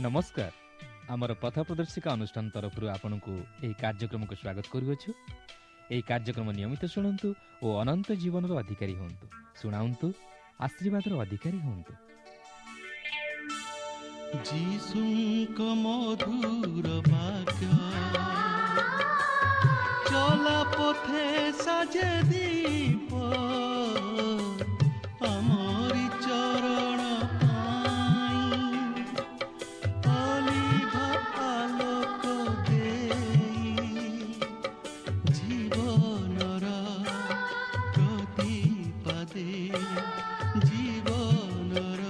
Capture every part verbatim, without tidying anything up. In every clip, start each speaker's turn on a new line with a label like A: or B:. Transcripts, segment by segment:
A: ନମସ୍କାର। ଆମର ପଥ ପ୍ରଦର୍ଶିକା ଅନୁଷ୍ଠାନ ତରଫରୁ ଆପଣଙ୍କୁ ଏହି କାର୍ଯ୍ୟକ୍ରମକୁ ସ୍ୱାଗତ କରୁଅଛୁ। ଏହି କାର୍ଯ୍ୟକ୍ରମ ନିୟମିତ ଶୁଣନ୍ତୁ ଓ ଅନନ୍ତ ଜୀବନର ଅଧିକାରୀ ହୁଅନ୍ତୁ। ଶୁଣାନ୍ତୁ, ଆଶୀର୍ବାଦର ଅଧିକାରୀ ହୁଅନ୍ତୁ।
B: ଯୀଶୁଙ୍କ ମଧୁର ବାକ୍ୟ ଚଲା ପଥେ ସାଜେ ଦୀପ, ଆମରି ଚରଣ ପାଇଁ ଅଲିଭା ଆଲୋକ ଦେଇ, ଜୀବନର ପ୍ରତିପାଦେ, ଜୀବନର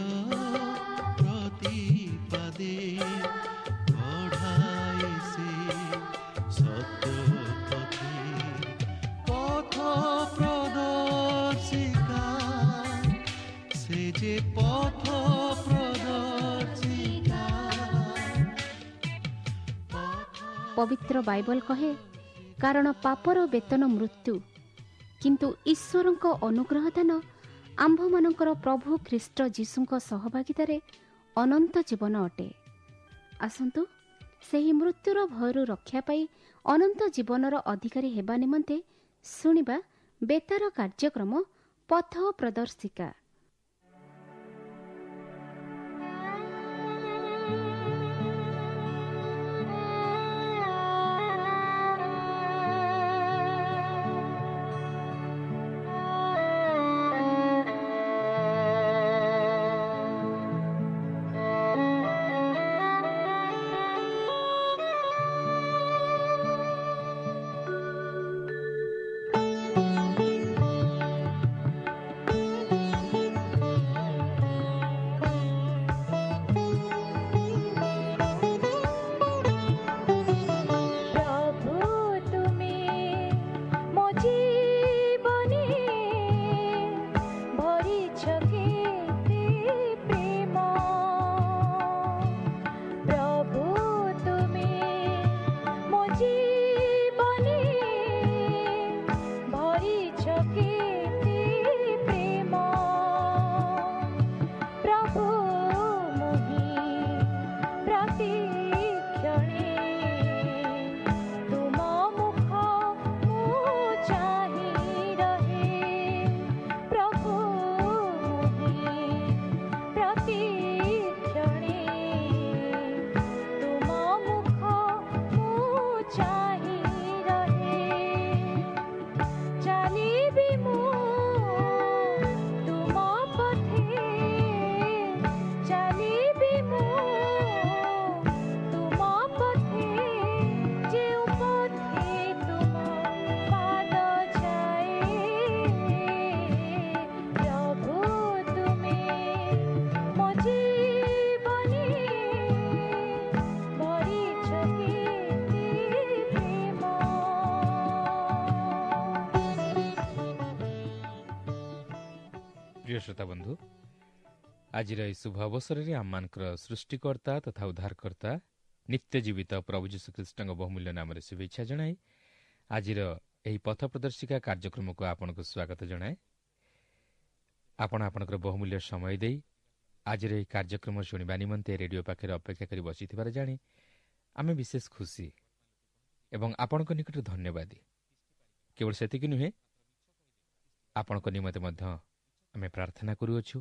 B: ପ୍ରତିପାଦେ କଢ଼ାଏ ସେ ସତ୍ୟ ପଥେ। ପଥ ପ୍ରଦର୍ଶିକା, ସେ ଯେ ପଥ ପ୍ରଦର୍ଶିକା।
C: ପବିତ୍ର ବାଇବଲ କହେ, କାରଣ ପାପର ବେତନ ମୃତ୍ୟୁ, କିନ୍ତୁ ଈଶ୍ୱରଙ୍କ ଅନୁଗ୍ରହ ଦାନ ଆମ୍ଭମାନଙ୍କର ପ୍ରଭୁ ଖ୍ରୀଷ୍ଟ ଯୀଶୁଙ୍କ ସହଭାଗିତାରେ ଅନନ୍ତ ଜୀବନ ଅଟେ। ଆସନ୍ତୁ ସେହି ମୃତ୍ୟୁର ଭୟରୁ ରକ୍ଷା ପାଇ ଅନନ୍ତ ଜୀବନର ଅଧିକାରୀ ହେବା ନିମନ୍ତେ ଶୁଣିବା ବେତାର କାର୍ଯ୍ୟକ୍ରମ ପଥ ପ୍ରଦର୍ଶିକା।
D: ପ୍ରଭୁ ତୁମେ ମୋ ଜୀବନେ ଭରିଛ କେତେ ପ୍ରେମ, ପ୍ରଭୁ ତୁମେ ମୋ ଜୀବନେ ଭରିଛ କେତେ ପ୍ରେମ, ପ୍ରଭୁ ମୁହିଁ ପ୍ରତିକ୍ଷଣେ ତୁମ ମୁଖ ମୁଁ ଚାହିଁ ରହେ, ପ୍ରଭୁ ମୁହିଁ ପ୍ରତିକ୍ଷଣେ ତୁମ ମୁଖ ମୁଁ ଚାହିଁ ରହେ। ଚାଲିବି ମୁଁ ତୁମ ପଥେ, ଚାଲିବି ମୁଁ ତୁମ ପଥେ, ଯେଉଁ ପଥେ ତୁମ ପାଦ ଯାଏ, ପ୍ରଭୁ ତୁମେ ମୋ ଜୀବନେ ଭରିଛ କେତେ ପ୍ରେମ।
A: ପ୍ରିୟ ଶ୍ରୋତା ବନ୍ଧୁ, ଆଜିର ଏହି ଶୁଭ ଅବସରରେ ଆମମାନଙ୍କର ସୃଷ୍ଟିକର୍ତ୍ତା ତଥା ଉଦ୍ଧାରକର୍ତ୍ତା ନିତ୍ୟ ଜୀବିତ ପ୍ରଭୁ ଯୀଶୁଖ୍ରୀଷ୍ଟଙ୍କ ବହୁମୂଲ୍ୟ ନାମରେ ଶୁଭେଚ୍ଛା ଜଣାଇ ଆଜିର ଏହି ପଥ ପ୍ରଦର୍ଶିକା କାର୍ଯ୍ୟକ୍ରମକୁ ଆପଣଙ୍କୁ ସ୍ୱାଗତ ଜଣାଏ। ଆପଣ ଆପଣଙ୍କର ବହୁମୂଲ୍ୟ ସମୟ ଦେଇ ଆଜିର ଏହି କାର୍ଯ୍ୟକ୍ରମ ଶୁଣିବା ନିମନ୍ତେ ରେଡିଓ ପାଖରେ ଅପେକ୍ଷା କରି ବସିଥିବାର ଜାଣି ଆମେ ବିଶେଷ ଖୁସି ଏବଂ ଆପଣଙ୍କ ନିକଟରେ ଧନ୍ୟବାଦୀ। କେବଳ ସେତିକି ନୁହେଁ, ଆପଣଙ୍କ ନିମନ୍ତେ ମଧ୍ୟ ଆମେ ପ୍ରାର୍ଥନା କରୁଅଛୁ,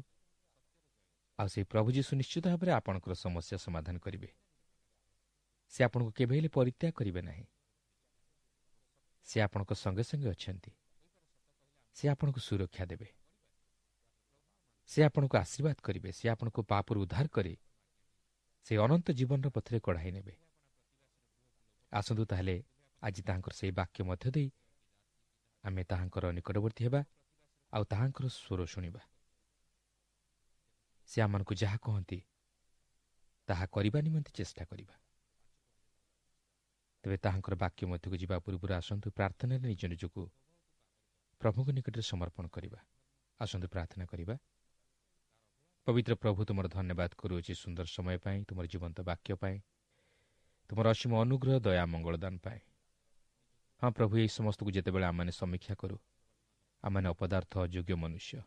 A: ଆଉ ସେହି ପ୍ରଭୁ ଯୀଶୁ ନିଶ୍ଚିତ ଭାବରେ ଆପଣଙ୍କର ସମସ୍ୟା ସମାଧାନ କରିବେ। ସେ ଆପଣଙ୍କୁ କେବେ ହେଲେ ପରିତ୍ୟାଗ କରିବେ ନାହିଁ। ସେ ଆପଣଙ୍କ ସଙ୍ଗେ ସଙ୍ଗେ ଅଛନ୍ତି। ସେ ଆପଣଙ୍କୁ ସୁରକ୍ଷା ଦେବେ। ସେ ଆପଣଙ୍କୁ ଆଶୀର୍ବାଦ କରିବେ। ସେ ଆପଣଙ୍କୁ ପାପରୁ ଉଦ୍ଧାର କରି ସେ ଅନନ୍ତ ଜୀବନର ପଥରେ କଢ଼ାଇ ନେବେ। ଆସନ୍ତୁ ତାହେଲେ ଆଜି ତାହାଙ୍କର ସେହି ବାକ୍ୟ ମଧ୍ୟ ଦେଇ ଆମେ ତାହାଙ୍କର ନିକଟବର୍ତ୍ତୀ ହେବା ଆଉ ତାହାଙ୍କର ସ୍ୱର ଶୁଣିବା। ସେ ଆମମାନଙ୍କୁ ଯାହା କହନ୍ତି ତାହା କରିବା ନିମନ୍ତେ ଚେଷ୍ଟା କରିବା। ତେବେ ତାହାଙ୍କର ବାକ୍ୟ ମଧ୍ୟକୁ ଯିବା ପୂର୍ବରୁ ଆସନ୍ତୁ ପ୍ରାର୍ଥନାରେ ନିଜ ନିଜକୁ ପ୍ରଭୁଙ୍କ ନିକଟରେ ସମର୍ପଣ କରିବା। ଆସନ୍ତୁ ପ୍ରାର୍ଥନା କରିବା। ପବିତ୍ର ପ୍ରଭୁ, ତୁମର ଧନ୍ୟବାଦ କରୁଅଛି ସୁନ୍ଦର ସମୟ ପାଇଁ, ତୁମର ଜୀବନ୍ତ ବାକ୍ୟ ପାଇଁ, ତୁମର ଅସୀମ ଅନୁଗ୍ରହ, ଦୟା, ମଙ୍ଗଳଦାନ ପାଇଁ। ହଁ ପ୍ରଭୁ, ଏହି ସମସ୍ତକୁ ଯେତେବେଳେ ଆମମାନେ ସମୀକ୍ଷା କରୁ, ଆମମାନେ ଅପଦାର୍ଥ ଅଯୋଗ୍ୟ ମନୁଷ୍ୟ।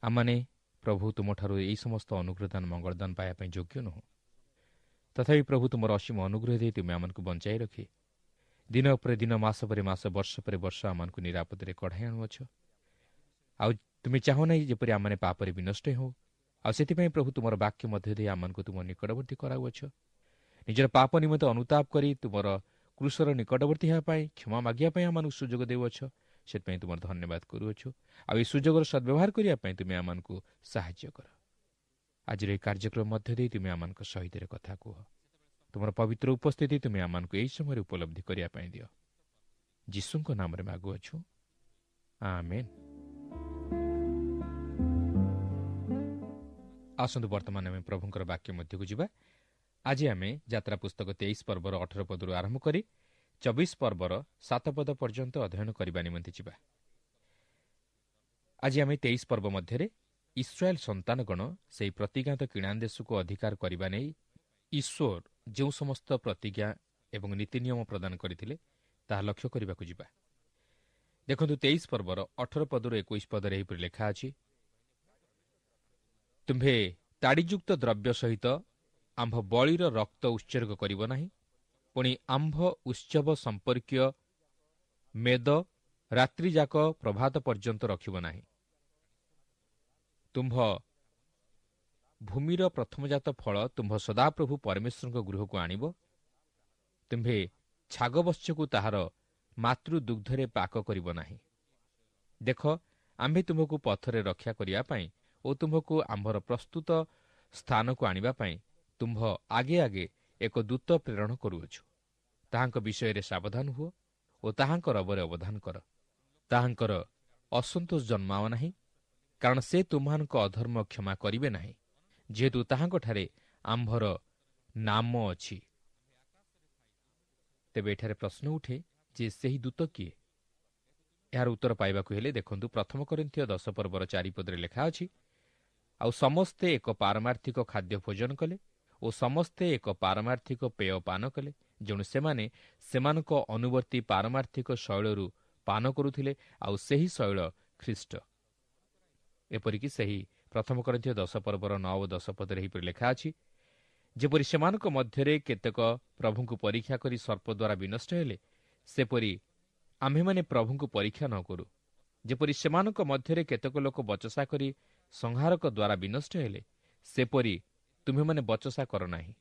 A: ଆମମାନେ ପ୍ରଭୁ ତୁମଠାରୁ ଏହି ସମସ୍ତ ଅନୁଗ୍ରହଦାନ ମଙ୍ଗଳଦାନ ପାଇବା ପାଇଁ ଯୋଗ୍ୟ ନୁହଁ। ତଥାପି ପ୍ରଭୁ ତୁମର ଅସୀମ ଅନୁଗ୍ରହ ଦେଇ ତୁମେ ଆମମାନଙ୍କୁ ବଞ୍ଚାଇ ରଖି ଦିନ ପରେ ଦିନ, ମାସ ପରେ ମାସ, ବର୍ଷ ପରେ ବର୍ଷ ଆମମାନଙ୍କୁ ନିରାପଦରେ କଢ଼ାଇ ଆଣୁଅଛ। ଆଉ ତୁମେ ଚାହୁଁ ନାହିଁ ଯେପରି ଆମମାନେ ପାପରେ ବିନଷ୍ଟ ହେଉ। ଆଉ ସେଥିପାଇଁ ପ୍ରଭୁ ତୁମର ବାକ୍ୟ ମଧ୍ୟ ଦେଇ ଆମମାନଙ୍କୁ ତୁମ ନିକଟବର୍ତ୍ତୀ କରାଉଅଛ। ନିଜର ପାପ ନିମନ୍ତେ ଅନୁତାପ କରି ତୁମର କ୍ରୁଶର ନିକଟବର୍ତ୍ତୀ ହେବା ପାଇଁ, କ୍ଷମା ମାଗିବା ପାଇଁ ଆମମାନଙ୍କୁ ସୁଯୋଗ ଦେଉଅଛ। ସେଥିପାଇଁ ତୁମର ଧନ୍ୟବାଦ କରୁଅଛୁ। ଆଉ ଏହି ସୁଯୋଗର ସଦ୍ବ୍ୟବହାର କରିବା ପାଇଁ ତୁମେ ଆମମାନଙ୍କୁ ସାହାଯ୍ୟ କର। ଆଜିର ଏହି କାର୍ଯ୍ୟକ୍ରମ ମଧ୍ୟ ଦେଇ ତୁମେ ଆମମାନଙ୍କ ସହିତ କଥା କୁହ। ତୁମର ପବିତ୍ର ଉପସ୍ଥିତି ତୁମେ ଆମମାନଙ୍କୁ ଏହି ସମୟରେ ଉପଲବ୍ଧି କରିବା ପାଇଁ ଦିଅ। ଯୀଶୁଙ୍କ ନାମରେ ମାଗୁଅଛୁ, ଆମେନ୍। ଆସନ୍ତୁ ବର୍ତ୍ତମାନ ଆମେ ପ୍ରଭୁଙ୍କର ବାକ୍ୟ ମଧ୍ୟକୁ ଯିବା। ଆଜି ଆମେ ଯାତ୍ରା ପୁସ୍ତକ ତେଇଶ ପର୍ବର ଅଠର ପଦରୁ ଆରମ୍ଭ କରି ଚବିଶ ପର୍ବର ସାତ ପଦ ପର୍ଯ୍ୟନ୍ତ ଅଧ୍ୟୟନ କରିବା ନିମନ୍ତେ ଯିବା। ଆଜି ଆମେ ତେଇଶ ପର୍ବ ମଧ୍ୟରେ ଇସ୍ରାଏଲ ସନ୍ତାନଗଣ ସେହି ପ୍ରତିଜ୍ଞାତ କିଣାନ ଦେଶକୁ ଅଧିକାର କରିବା ନେଇ ଈଶ୍ୱର ଯେଉଁ ସମସ୍ତ ପ୍ରତିଜ୍ଞା ଏବଂ ନୀତି ନିୟମ ପ୍ରଦାନ କରିଥିଲେ ତାହା ଲକ୍ଷ୍ୟ କରିବାକୁ ଯିବା। ଦେଖନ୍ତୁ ତେଇଶ ପର୍ବର ଅଠର ପଦରୁ ଏକୋଇଶ ପଦରେ ଏହିପରି ଲେଖା ଅଛି, ତୁମ୍ଭେ ତାଡ଼ିଯୁକ୍ତ ଦ୍ରବ୍ୟ ସହିତ ଆମ୍ଭ ବଳିର ରକ୍ତ ଉତ୍ସର୍ଗ କରିବ ନାହିଁ, ପୁଣି ଆମ୍ଭ ଉତ୍ସବ ସମ୍ପର୍କୀୟ ମେଦ ରାତ୍ରିଯାକ ପ୍ରଭାତ ପର୍ଯ୍ୟନ୍ତ ରଖିବ ନାହିଁ। ତୁମ୍ଭ ଭୂମିର ପ୍ରଥମଜାତ ଫଳ ତୁମ୍ଭ ସଦାପ୍ରଭୁ ପରମେଶ୍ୱରଙ୍କ ଗୃହକୁ ଆଣିବ। ତୁମ୍ଭେ ଛାଗବତ୍ସକୁ ତାହାର ମାତୃଦୁଗ୍ଧରେ ପାକ କରିବ ନାହିଁ। ଦେଖ, ଆମ୍ଭେ ତୁମ୍ଭକୁ ପଥରେ ରକ୍ଷା କରିବା ପାଇଁ ଓ ତୁମ୍ଭକୁ ଆମ୍ଭର ପ୍ରସ୍ତୁତ ସ୍ଥାନକୁ ଆଣିବା ପାଇଁ ତୁମ୍ଭ ଆଗେ ଆଗେ ଏକ ଦୂତ ପ୍ରେରଣ କରୁଅଛୁ। ତାହାଙ୍କ ବିଷୟରେ ସାବଧାନ ହୁଅ ଓ ତାହାଙ୍କ ରବରେ ଅବଧାନ କର। ତାହାଙ୍କର ଅସନ୍ତୋଷ ଜନ୍ମାଅ ନାହିଁ, କାରଣ ସେ ତୁମ୍ଭମାନଙ୍କ ଅଧର୍ମ କ୍ଷମା କରିବେ ନାହିଁ, ଯେହେତୁ ତାହାଙ୍କଠାରେ ଆମ୍ଭର ନାମ ଅଛି। ତେବେ ଏଠାରେ ପ୍ରଶ୍ନ ଉଠେ ଯେ ସେହି ଦୂତ କିଏ? ଏହାର ଉତ୍ତର ପାଇବାକୁ ହେଲେ ଦେଖନ୍ତୁ ପ୍ରଥମ କରିନ୍ଥୀୟ ଦଶ ପର୍ବର ଚାରିପଦରେ ଲେଖା ଅଛି, ଆଉ ସମସ୍ତେ ଏକ ପାରମାର୍ଥିକ ଖାଦ୍ୟ ଭୋଜନ କଲେ ଓ ସମସ୍ତେ ଏକ ପାରମାର୍ଥିକ ପେୟ ପାନ କଲେ। ଯେଣୁ ସେମାନେ ସେମାନଙ୍କ ଅନୁବର୍ତ୍ତୀ ପାରମାର୍ଥିକ ଶୈଳରୁ ପାନ କରୁଥିଲେ, ଆଉ ସେହି ଶୈଳ ଖ୍ରୀଷ୍ଟ। ଏପରିକି ସେହି ପ୍ରଥମ କରିନ୍ଥୀୟ ଦଶ ପର୍ବର ନଅ ଓ ଦଶ ପଦରେ ଏହିପରି ଲେଖା ଅଛି, ଯେପରି ସେମାନଙ୍କ ମଧ୍ୟରେ କେତେକ ପ୍ରଭୁଙ୍କୁ ପରୀକ୍ଷା କରି ସର୍ପ ଦ୍ୱାରା ବିନଷ୍ଟ ହେଲେ, ସେପରି ଆମ୍ଭେମାନେ ପ୍ରଭୁଙ୍କୁ ପରୀକ୍ଷା ନ କରୁ। ଯେପରି ସେମାନଙ୍କ ମଧ୍ୟରେ କେତେକ ଲୋକ ବଚସା କରି ସଂହାରକ ଦ୍ୱାରା ବିନଷ୍ଟ ହେଲେ, ସେପରି ତୁମ୍ଭେମାନେ ବଚସା କର ନାହିଁ।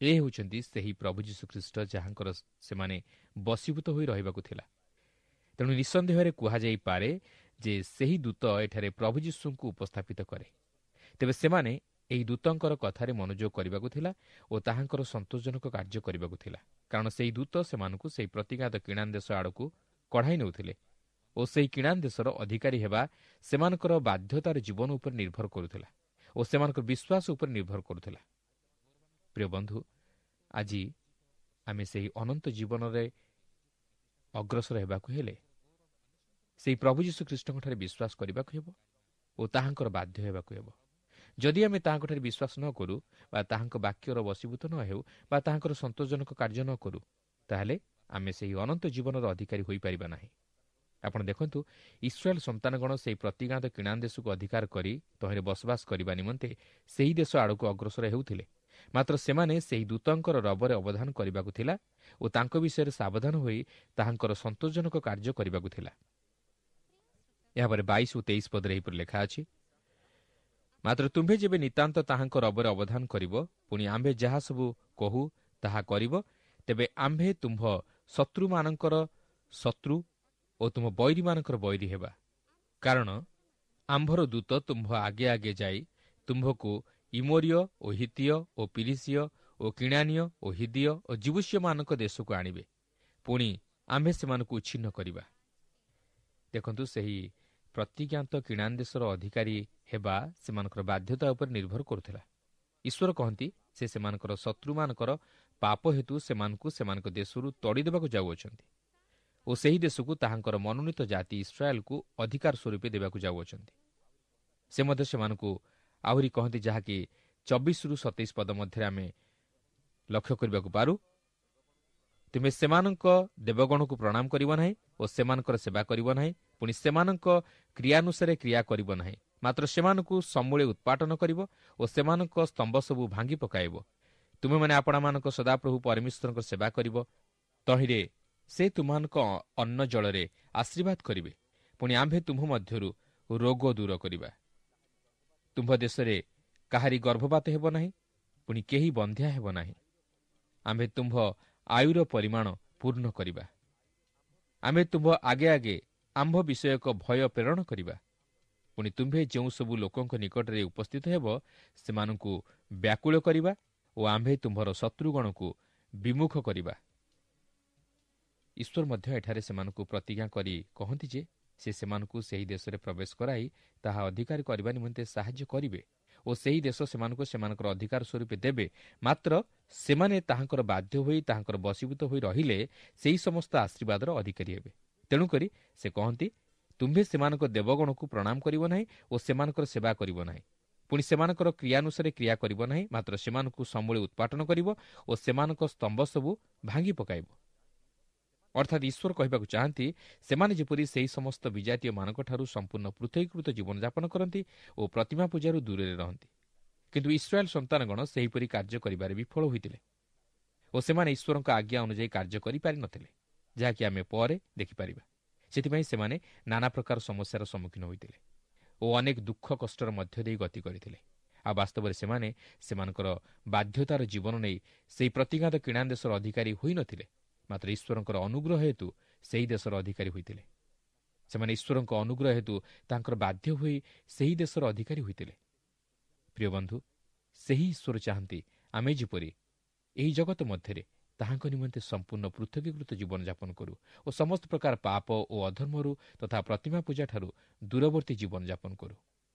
A: ଏ ହେଉଛନ୍ତି ସେହି ପ୍ରଭୁ ଯୀଶୁଖ୍ରୀଷ୍ଟ ଯାହାଙ୍କର ସେମାନେ ବଶୀଭୂତ ହୋଇ ରହିବାକୁ ଥିଲା। ତେଣୁ ନିଃସନ୍ଦେହରେ କୁହାଯାଇପାରେ ଯେ ସେହି ଦୂତ ଏଠାରେ ପ୍ରଭୁ ଯୀଶୁଙ୍କୁ ଉପସ୍ଥାପିତ କରେ। ତେବେ ସେମାନେ ଏହି ଦୂତଙ୍କର କଥାରେ ମନୋଯୋଗ କରିବାକୁ ଥିଲା ଓ ତାହାଙ୍କର ସନ୍ତୋଷଜନକ କାର୍ଯ୍ୟ କରିବାକୁ ଥିଲା, କାରଣ ସେହି ଦୂତ ସେମାନଙ୍କୁ ସେହି ପ୍ରତିଜ୍ଞାତ କିଣାନ ଦେଶ ଆଡ଼କୁ କଢ଼ାଇ ନେଉଥିଲେ ଓ ସେହି କିଣାନ ଦେଶର ଅଧିକାରୀ ହେବା ସେମାନଙ୍କର ବାଧ୍ୟତାର ଜୀବନ ଉପରେ ନିର୍ଭର କରୁଥିଲା ଓ ସେମାନଙ୍କର ବିଶ୍ୱାସ ଉପରେ ନିର୍ଭର କରୁଥିଲା। ପ୍ରିୟ ବନ୍ଧୁ, ଆଜି ଆମେ ସେହି ଅନନ୍ତ ଜୀବନରେ ଅଗ୍ରସର ହେବାକୁ ହେଲେ ସେହି ପ୍ରଭୁ ଯୀଶୁଖ୍ରୀଷ୍ଟଙ୍କଠାରେ ବିଶ୍ୱାସ କରିବାକୁ ହେବ ଓ ତାହାଙ୍କର ବାଧ୍ୟ ହେବାକୁ ହେବ। ଯଦି ଆମେ ତାହାଙ୍କଠାରେ ବିଶ୍ୱାସ ନ କରୁ ବା ତାହାଙ୍କ ବାକ୍ୟର ବଶୀଭୂତ ନ ହେଉ ବା ତାହାଙ୍କର ସନ୍ତୋଷଜନକ କାର୍ଯ୍ୟ ନ କରୁ, ତାହେଲେ ଆମେ ସେହି ଅନନ୍ତ ଜୀବନର ଅଧିକାରୀ ହୋଇପାରିବା ନାହିଁ। ଆପଣ ଦେଖନ୍ତୁ, ଇସ୍ରାଏଲ ସନ୍ତାନଗଣ ସେହି ପ୍ରତିଜ୍ଞାତ କିଣାନ ଦେଶକୁ ଅଧିକାର କରି ତହିଁରେ ବସବାସ କରିବା ନିମନ୍ତେ ସେହି ଦେଶ ଆଡ଼କୁ ଅଗ୍ରସର ହେଉଥିଲେ। ମାତ୍ର ସେମାନେ ସେହି ଦୂତଙ୍କର ରବରେ ଅବଧାନ କରିବାକୁ ଥିଲା ଓ ତାଙ୍କ ବିଷୟରେ ସାବଧାନ ହୋଇ ତାହାଙ୍କର ସନ୍ତୋଷଜନକ କାର୍ଯ୍ୟ କରିବାକୁ ଥିଲା। ଏହାପରେ ବାଇଶ ଓ ତେଇଶ ପଦରେ ଏହିପରି ଲେଖା ଅଛି, ମାତ୍ର ତୁମ୍ଭେ ଯେବେ ନିତାନ୍ତ ତାହାଙ୍କ ରବରେ ଅବଧାନ କରିବ, ପୁଣି ଆମ୍ଭେ ଯାହା ସବୁ କହୁ ତାହା କରିବ, ତେବେ ଆମ୍ଭେ ତୁମ୍ଭ ଶତ୍ରୁମାନଙ୍କର ଶତ୍ରୁ ଓ ତୁମ ବୈରୀମାନଙ୍କର ବୈରୀ ହେବା। କାରଣ ଆମ୍ଭର ଦୂତ ତୁମ୍ଭ ଆଗେ ଆଗେ ଯାଇ ତୁମ୍ଭକୁ ଇମୋରୀୟ ଓ ହିତୀୟ ଓ ପିରିସୀୟ ଓ କିଣାନୀୟ ଓ ହିଦୀୟ ଓ ଯିବୂଷୀୟମାନଙ୍କ ଦେଶକୁ ଆଣିବେ, ପୁଣି ଆମ୍ଭେ ସେମାନଙ୍କୁ ଉଚ୍ଛିନ୍ନ କରିବା। ଦେଖନ୍ତୁ, ସେହି ପ୍ରତିଜ୍ଞାତ କିଣାନ ଦେଶର ଅଧିକାରୀ ହେବା ସେମାନଙ୍କର ବାଧ୍ୟତା ଉପରେ ନିର୍ଭର କରୁଥିଲା। ଈଶ୍ୱର କହନ୍ତି ସେ ସେମାନଙ୍କର ଶତ୍ରୁମାନଙ୍କର ପାପ ହେତୁ ସେମାନଙ୍କୁ ସେମାନଙ୍କ ଦେଶରୁ ତଡ଼ି ଦେବାକୁ ଯାଉଅଛନ୍ତି ଓ ସେହି ଦେଶକୁ ତାହାଙ୍କର ମନୋନୀତ ଜାତି ଇସ୍ରାଏଲକୁ ଅଧିକାର ସ୍ୱରୂପେ ଦେବାକୁ ଯାଉଅଛନ୍ତି। ସେ ମଧ୍ୟ ସେମାନଙ୍କୁ ଆହୁରି କହନ୍ତି, ଯାହାକି ଚବିଶରୁ ସତେଇଶ ପଦ ମଧ୍ୟରେ ଆମେ ଲକ୍ଷ୍ୟ କରିବାକୁ ପାରୁ, ତୁମେ ସେମାନଙ୍କ ଦେବଗଣକୁ ପ୍ରଣାମ କରିବ ନାହିଁ ଓ ସେମାନଙ୍କର ସେବା କରିବ ନାହିଁ, ପୁଣି ସେମାନଙ୍କ କ୍ରିୟାନୁସାରେ କ୍ରିୟା କରିବ ନାହିଁ, ମାତ୍ର ସେମାନଙ୍କୁ ସମୂଳେ ଉତ୍ପାଟନ କରିବ ଓ ସେମାନଙ୍କ ସ୍ତମ୍ଭ ସବୁ ଭାଙ୍ଗି ପକାଇବ। ତୁମେମାନେ ଆପଣମାନଙ୍କ ସଦାପ୍ରଭୁ ପରମେଶ୍ୱରଙ୍କ ସେବା କରିବ, ତହିଁରେ ସେ ତୁମମାନଙ୍କ ଅନ୍ନ ଜଳରେ ଆଶୀର୍ବାଦ କରିବେ। ପୁଣି ଆମ୍ଭେ ତୁମ୍ଭ ମଧ୍ୟରୁ ରୋଗ ଦୂର କରିବା। ତୁମ୍ଭ ଦେଶରେ କାହାରି ଗର୍ଭପାତ ହେବ ନାହିଁ, ପୁଣି କେହି ବନ୍ଧ୍ୟା ହେବ ନାହିଁ। ଆମ୍ଭେ ତୁମ୍ଭ ଆୟୁର ପରିମାଣ ପୂର୍ଣ୍ଣ କରିବା। ଆମ୍ଭେ ତୁମ୍ଭ ଆଗେ ଆଗେ ଆମ୍ଭ ବିଷୟକ ଭୟ ପ୍ରେରଣ କରିବା। ପୁଣି ତୁମ୍ଭେ ଯେଉଁ ସବୁ ଲୋକଙ୍କ ନିକଟରେ ଉପସ୍ଥିତ ହେବ ସେମାନଙ୍କୁ ବ୍ୟାକୁଳ କରିବା ଓ ଆମ୍ଭେ ତୁମ୍ଭର ଶତ୍ରୁଗଣକୁ ବିମୁଖ କରିବା। ଈଶ୍ୱର ମଧ୍ୟ ଏଠାରେ ସେମାନଙ୍କୁ ପ୍ରତିଜ୍ଞା କରି କହନ୍ତି ଯେ ସେ ସେମାନଙ୍କୁ ସେହି ଦେଶରେ ପ୍ରବେଶ କରାଇ ତାହା ଅଧିକାର କରିବା ନିମନ୍ତେ ସାହାଯ୍ୟ କରିବେ ଓ ସେହି ଦେଶ ସେମାନଙ୍କୁ ସେମାନଙ୍କର ଅଧିକାର ସ୍ୱରୂପେ ଦେବେ। ମାତ୍ର ସେମାନେ ତାହାଙ୍କର ବାଧ୍ୟ ହୋଇ ତାହାଙ୍କର ବଶୀଭୂତ ହୋଇ ରହିଲେ ସେହି ସମସ୍ତ ଆଶୀର୍ବାଦର ଅଧିକାରୀ ହେବେ। ତେଣୁକରି ସେ କହନ୍ତି, ତୁମ୍ଭେ ସେମାନଙ୍କ ଦେବଗଣକୁ ପ୍ରଣାମ କରିବ ନାହିଁ ଓ ସେମାନଙ୍କର ସେବା କରିବ ନାହିଁ। ପୁଣି ସେମାନଙ୍କର କ୍ରିୟାନୁସାରେ କ୍ରିୟା କରିବ ନାହିଁ, ମାତ୍ର ସେମାନଙ୍କୁ ସମୂଳେ ଉତ୍ପାଟନ କରିବ ଓ ସେମାନଙ୍କ ସ୍ତମ୍ଭ ସବୁ ଭାଙ୍ଗି ପକାଇବ। ଅର୍ଥାତ୍ ଈଶ୍ୱର କହିବାକୁ ଚାହାନ୍ତି, ସେମାନେ ଯେପରି ସେହି ସମସ୍ତ ବିଜାତୀୟମାନଙ୍କଠାରୁ ସମ୍ପୂର୍ଣ୍ଣ ପୃଥକୀକୃତ ଜୀବନଯାପନ କରନ୍ତି ଓ ପ୍ରତିମା ପୂଜାରୁ ଦୂରରେ ରହନ୍ତି। କିନ୍ତୁ ଇସ୍ରାଏଲ ସନ୍ତାନଗଣ ସେହିପରି କାର୍ଯ୍ୟ କରିବାରେ ବିଫଳ ହୋଇଥିଲେ ଓ ସେମାନେ ଈଶ୍ୱରଙ୍କ ଆଜ୍ଞା ଅନୁଯାୟୀ କାର୍ଯ୍ୟ କରିପାରିନଥିଲେ, ଯାହାକି ଆମେ ପରେ ଦେଖିପାରିବା। ସେଥିପାଇଁ ସେମାନେ ନାନା ପ୍ରକାର ସମସ୍ୟାର ସମ୍ମୁଖୀନ ହୋଇଥିଲେ ଓ ଅନେକ ଦୁଃଖ କଷ୍ଟର ମଧ୍ୟ ଦେଇ ଗତି କରିଥିଲେ। ଆଉ ବାସ୍ତବରେ ସେମାନେ ସେମାନଙ୍କର ବାଧ୍ୟତାର ଜୀବନ ନେଇ ସେହି ପ୍ରତିଜ୍ଞାତ କିଣାନ ଦେଶର ଅଧିକାରୀ ହୋଇନଥିଲେ, ମାତ୍ର ଈଶ୍ୱରଙ୍କର ଅନୁଗ୍ରହ ହେତୁ ସେହି ଦେଶର ଅଧିକାରୀ ହୋଇଥିଲେ। ସେମାନେ ଈଶ୍ୱରଙ୍କ ଅନୁଗ୍ରହ ହେତୁ ତାଙ୍କର ବାଧ୍ୟ ହୋଇ ସେହି ଦେଶର ଅଧିକାରୀ ହୋଇଥିଲେ। ପ୍ରିୟ ବନ୍ଧୁ, ସେହି ଈଶ୍ୱର ଚାହାନ୍ତି ଆମେ ଯେପରି ଏହି ଜଗତ ମଧ୍ୟରେ ତାହାଙ୍କ ନିମନ୍ତେ ସମ୍ପୂର୍ଣ୍ଣ ପୃଥକୀକୃତ ଜୀବନଯାପନ କରୁ ଓ ସମସ୍ତ ପ୍ରକାର ପାପ ଓ ଅଧର୍ମରୁ ତଥା ପ୍ରତିମା ପୂଜାଠାରୁ ଦୂରବର୍ତ୍ତୀ ଜୀବନଯାପନ କରୁ।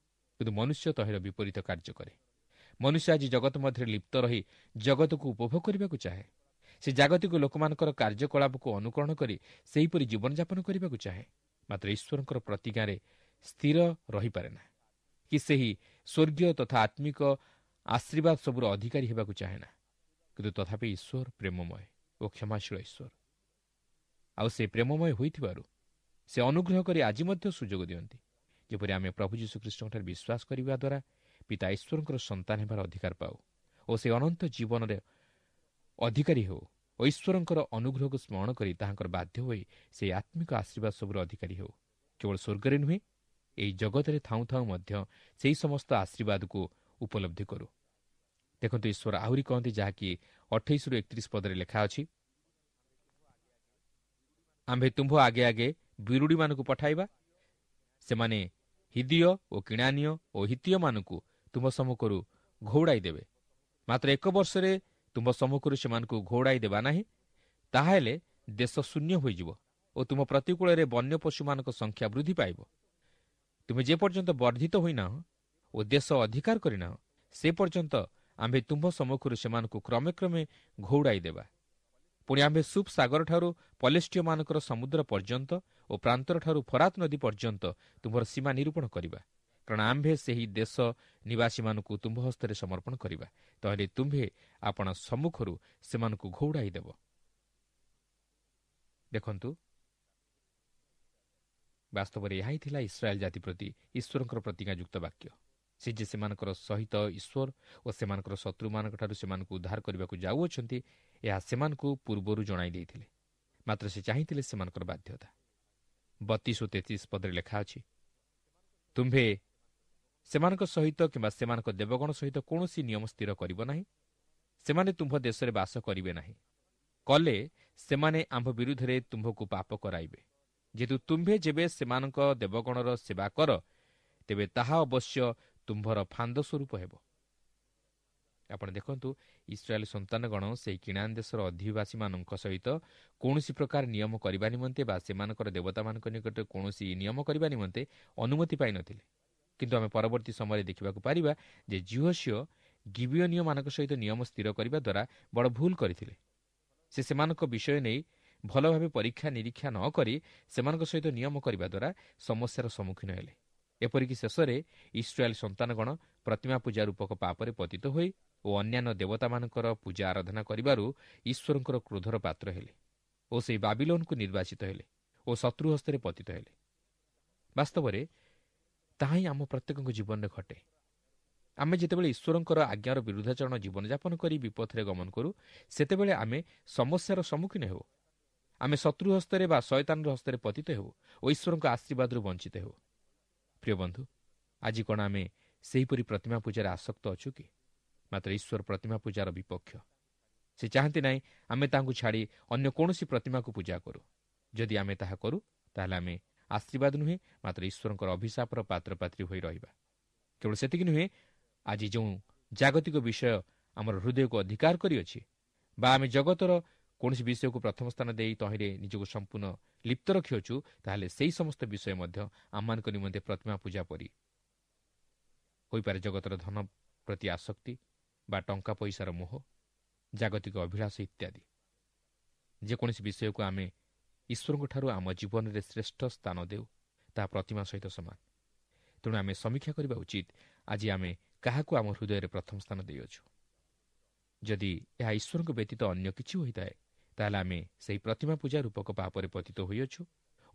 A: କିନ୍ତୁ ମନୁଷ୍ୟ ତହିଁର ବିପରୀତ କାର୍ଯ୍ୟ କରେ। ମନୁଷ୍ୟ ଆଜି ଜଗତ ମଧ୍ୟରେ ଲିପ୍ତ ରହି ଜଗତକୁ ଉପଭୋଗ କରିବାକୁ ଚାହେଁ। ସେ ଜାଗତିକ ଲୋକମାନଙ୍କର କାର୍ଯ୍ୟକଳାପକୁ ଅନୁକରଣ କରି ସେହିପରି ଜୀବନଯାପନ କରିବାକୁ ଚାହେଁ, ମାତ୍ର ଈଶ୍ୱରଙ୍କର ପ୍ରତିଜ୍ଞାରେ ସ୍ଥିର ରହିପାରେ ନା କି ସେହି ସ୍ୱର୍ଗୀୟ ତଥା ଆତ୍ମିକ ଆଶୀର୍ବାଦ ସବୁର ଅଧିକାରୀ ହେବାକୁ ଚାହେଁ ନା। କିନ୍ତୁ ତଥାପି ଈଶ୍ୱର ପ୍ରେମମୟ ଓ କ୍ଷମାଶୀଳ ଈଶ୍ୱର, ଆଉ ସେ ପ୍ରେମମୟ ହୋଇଥିବାରୁ ସେ ଅନୁଗ୍ରହ କରି ଆଜି ମଧ୍ୟ ସୁଯୋଗ ଦିଅନ୍ତି, ଯେପରି ଆମେ ପ୍ରଭୁ ଯୀଶୁଖ୍ରୀଷ୍ଟଙ୍କଠାରେ ବିଶ୍ୱାସ କରିବା ଦ୍ୱାରା ପିତା ଈଶ୍ୱରଙ୍କର ସନ୍ତାନ ହେବାର ଅଧିକାର ପାଉ ଓ ସେ ଅନନ୍ତ ଜୀବନରେ ଅଧିକାରୀ ହେଉ ଓ ଈଶ୍ୱରଙ୍କର ଅନୁଗ୍ରହକୁ ସ୍ମରଣ କରି ତାହାଙ୍କର ବାଧ୍ୟ ହୋଇ ସେହି ଆତ୍ମିକ ଆଶୀର୍ବାଦ ସବୁର ଅଧିକାରୀ ହେଉ। କେବଳ ସ୍ୱର୍ଗରେ ନୁହେଁ, ଏହି ଜଗତରେ ଥାଉଁ ଥାଉଁ ମଧ୍ୟ ସେହି ସମସ୍ତ ଆଶୀର୍ବାଦକୁ ଉପଲବ୍ଧି କରୁ। ଦେଖନ୍ତୁ, ଈଶ୍ୱର ଆହୁରି କହନ୍ତି, ଯାହାକି ଅଠେଇଶରୁ ଏକତିରିଶ ପଦରେ ଲେଖା ଅଛି, ଆମ୍ଭେ ତୁମ୍ଭ ଆଗେ ଆଗେ ବିରୁଡ଼ିମାନଙ୍କୁ ପଠାଇବା, ସେମାନେ ହିଦିୟ ଓ କିଣାନୀୟ ଓ ହିତୀୟମାନଙ୍କୁ ତୁମ୍ଭ ସମ୍ମୁଖରୁ ଘଉଡ଼ାଇ ଦେବେ। ମାତ୍ର ଏକ ବର୍ଷରେ ତୁମ୍ଭ ସମ୍ମୁଖରୁ ସେମାନଙ୍କୁ ଘଉଡ଼ାଇ ଦେବା ନାହିଁ, ତାହାହେଲେ ଦେଶ ଶୂନ୍ୟ ହୋଇଯିବ ଓ ତୁମ ପ୍ରତିକୂଳରେ ବନ୍ୟ ପଶୁମାନଙ୍କ ସଂଖ୍ୟା ବୃଦ୍ଧି ପାଇବ। ତୁମେ ଯେପର୍ଯ୍ୟନ୍ତ ବର୍ଦ୍ଧିତ ହୋଇନାହ ଓ ଦେଶ ଅଧିକାର କରିନାହ, ସେ ପର୍ଯ୍ୟନ୍ତ ଆମ୍ଭେ ତୁମ୍ଭ ସମ୍ମୁଖରୁ ସେମାନଙ୍କୁ କ୍ରମେ କ୍ରମେ ଘଉଡ଼ାଇ ଦେବା। ପୁଣି ଆମ୍ଭେ ସୁପ୍ ସାଗରଠାରୁ ପଲେଷ୍ଟିୟମାନଙ୍କର ସମୁଦ୍ର ପର୍ଯ୍ୟନ୍ତ ଓ ପ୍ରାନ୍ତରଠାରୁ ଫରାତ ନଦୀ ପର୍ଯ୍ୟନ୍ତ ତୁମ୍ଭର ସୀମା ନିରୂପଣ କରିବା, କାରଣ ଆମ୍ଭେ ସେହି ଦେଶ ନିବାସୀମାନଙ୍କୁ ତୁମ୍ଭ ହସ୍ତରେ ସମର୍ପଣ କରିବା, ତାହେଲେ ତୁମ୍ଭେ ଆପଣା ସମ୍ମୁଖରୁ ସେମାନଙ୍କୁ ଘଉଡ଼ାଇ ଦେବ। ଦେଖନ୍ତୁ, ବାସ୍ତବରେ ଏହା ହିଁ ଥିଲା ଇସ୍ରାଏଲ ଜାତି ପ୍ରତି ଈଶ୍ୱରଙ୍କର ପ୍ରତିଜ୍ଞାଯୁକ୍ତ ବାକ୍ୟ। ସେ ଯେ ସେମାନଙ୍କର ସହିତ ଈଶ୍ୱର ଓ ସେମାନଙ୍କର ଶତ୍ରୁମାନଙ୍କଠାରୁ ସେମାନଙ୍କୁ ଉଦ୍ଧାର କରିବାକୁ ଯାଉଅଛନ୍ତି, ଏହା ସେମାନଙ୍କୁ ପୂର୍ବରୁ ଜଣାଇ ଦେଇଥିଲେ, ମାତ୍ର ସେ ଚାହିଁଥିଲେ ସେମାନଙ୍କର ବାଧ୍ୟତା। ବତିଶ ଓ ତେତିଶ ପଦରେ ଲେଖା ଅଛି, ତୁମ୍ଭେ ସେମାନଙ୍କ ସହିତ କିମ୍ବା ସେମାନଙ୍କ ଦେବଗଣ ସହିତ କୌଣସି ନିୟମ ସ୍ଥିର କରିବ ନାହିଁ, ସେମାନେ ତୁମ୍ଭ ଦେଶରେ ବାସ କରିବେ ନାହିଁ, କଲେ ସେମାନେ ଆମ୍ଭ ବିରୁଦ୍ଧରେ ତୁମ୍ଭକୁ ପାପ କରାଇବେ। ଯେହେତୁ ତୁମ୍ଭେ ଯେବେ ସେମାନଙ୍କ ଦେବଗଣର ସେବା କର, ତେବେ ତାହା ଅବଶ୍ୟ ତୁମ୍ଭର ଫାନ୍ଦ ସ୍ୱରୂପ ହେବ। ଆପଣ ଦେଖନ୍ତୁ, ଇସ୍ରାଏଲ ସନ୍ତାନଗଣ ସେହି କିଣାନ ଦେଶର ଅଧିବାସୀମାନଙ୍କ ସହିତ କୌଣସି ପ୍ରକାର ନିୟମ କରିବା ନିମନ୍ତେ ବା ସେମାନଙ୍କର ଦେବତାମାନଙ୍କ ନିକଟରେ କୌଣସି ନିୟମ କରିବା ନିମନ୍ତେ ଅନୁମତି ପାଇନଥିଲେ। କିନ୍ତୁ ଆମେ ପରବର୍ତ୍ତୀ ସମୟରେ ଦେଖିବାକୁ ପାରିବା ଯେ ଯିହୋଶୂୟ ଗିବିୟୋନୀୟମାନଙ୍କ ସହିତ ନିୟମ ସ୍ଥିର କରିବା ଦ୍ୱାରା ବଡ଼ ଭୁଲ କରିଥିଲେ। ସେ ସେମାନଙ୍କ ବିଷୟ ନେଇ ଭଲ ଭାବେ ପରୀକ୍ଷା ନିରୀକ୍ଷା ନ କରି ସେମାନଙ୍କ ସହିତ ନିୟମ କରିବା ଦ୍ୱାରା ସମସ୍ୟାର ସମ୍ମୁଖୀନ ହେଲେ। ଏପରିକି ଶେଷରେ ଇସ୍ରାଏଲ ସନ୍ତାନଗଣ ପ୍ରତିମା ପୂଜା ରୂପକ ପାପରେ ପତିତ ହୋଇ ଓ ଅନ୍ୟାନ୍ୟ ଦେବତାମାନଙ୍କର ପୂଜା ଆରାଧନା କରିବାରୁ ଈଶ୍ୱରଙ୍କର କ୍ରୋଧର ପାତ୍ର ହେଲେ ଓ ସେହି ବାବିଲୋନକୁ ନିର୍ବାଚିତ ହେଲେ ଓ ଶତ୍ରୁ ହସ୍ତରେ ପତିତ ହେଲେ। ବାସ୍ତବରେ ତାହା ହିଁ ଆମ ପ୍ରତ୍ୟେକଙ୍କ ଜୀବନରେ ଘଟେ। ଆମେ ଯେତେବେଳେ ଈଶ୍ୱରଙ୍କର ଆଜ୍ଞାର ବିରୁଦ୍ଧାଚରଣ ଜୀବନଯାପନ କରି ବିପଥରେ ଗମନ କରୁ, ସେତେବେଳେ ଆମେ ସମସ୍ୟାର ସମ୍ମୁଖୀନ ହେଉ। ଆମେ ଶତ୍ରୁ ହସ୍ତରେ ବା ଶୟତାନର ହସ୍ତରେ ପତିତ ହେଉ ଓ ଈଶ୍ୱରଙ୍କ ଆଶୀର୍ବାଦରୁ ବଞ୍ଚିତ ହେଉ। ପ୍ରିୟ ବନ୍ଧୁ, ଆଜି କ'ଣ ଆମେ ସେହିପରି ପ୍ରତିମା ପୂଜାରେ ଆସକ୍ତ ଅଛୁ କି? ମାତ୍ର ଈଶ୍ୱର ପ୍ରତିମା ପୂଜାର ବିପକ୍ଷ। ସେ ଚାହାନ୍ତି ନାହିଁ ଆମେ ତାଙ୍କୁ ଛାଡ଼ି ଅନ୍ୟ କୌଣସି ପ୍ରତିମାକୁ ପୂଜା କରୁ। ଯଦି ଆମେ ତାହା କରୁ, ତାହେଲେ ଆମେ ଆଶୀର୍ବାଦ ନୁହେଁ, ମାତ୍ର ଈଶ୍ୱରଙ୍କର ଅଭିଶାପର ପାତ୍ରପାତ୍ରୀ ହୋଇ ରହିବା। କେବଳ ସେତିକି ନୁହେଁ, ଆଜି ଯେଉଁ ଜାଗତିକ ବିଷୟ ଆମର ହୃଦୟକୁ ଅଧିକାର କରିଅଛି ବା ଆମେ ଜଗତର କୌଣସି ବିଷୟକୁ ପ୍ରଥମ ସ୍ଥାନ ଦେଇ ତହିଁରେ ନିଜକୁ ସମ୍ପୂର୍ଣ୍ଣ ଲିପ୍ତ ରଖିଅଛୁ, ତାହେଲେ ସେହି ସମସ୍ତ ବିଷୟ ମଧ୍ୟ ଆମମାନଙ୍କ ନିମନ୍ତେ ପ୍ରତିମା ପୂଜା ପରି ହୋଇପାରେ। ଜଗତର ଧନ ପ୍ରତି ଆସକ୍ତି ବା ଟଙ୍କା ପଇସାର ମୋହ, ଜାଗତିକ ଅଭିଳାଷ ଇତ୍ୟାଦି। ଯେକୌଣସି ବିଷୟକୁ ଆମେ ଈଶ୍ୱରଙ୍କଠାରୁ ଆମ ଜୀବନରେ ଶ୍ରେଷ୍ଠ ସ୍ଥାନ ଦେଉ, ତାହା ପ୍ରତିମା ସହିତ ସମାନ। ତେଣୁ ଆମେ ସମୀକ୍ଷା କରିବା ଉଚିତ, ଆଜି ଆମେ କାହାକୁ ଆମ ହୃଦୟରେ ପ୍ରଥମ ସ୍ଥାନ ଦେଇଅଛୁ। ଯଦି ଏହା ଈଶ୍ୱରଙ୍କ ବ୍ୟତୀତ ଅନ୍ୟ କିଛି ହୋଇଥାଏ, ତାହେଲେ ଆମେ ସେହି ପ୍ରତିମା ପୂଜା ରୂପକ ପାପରେ ପତିତ ହୋଇଅଛୁ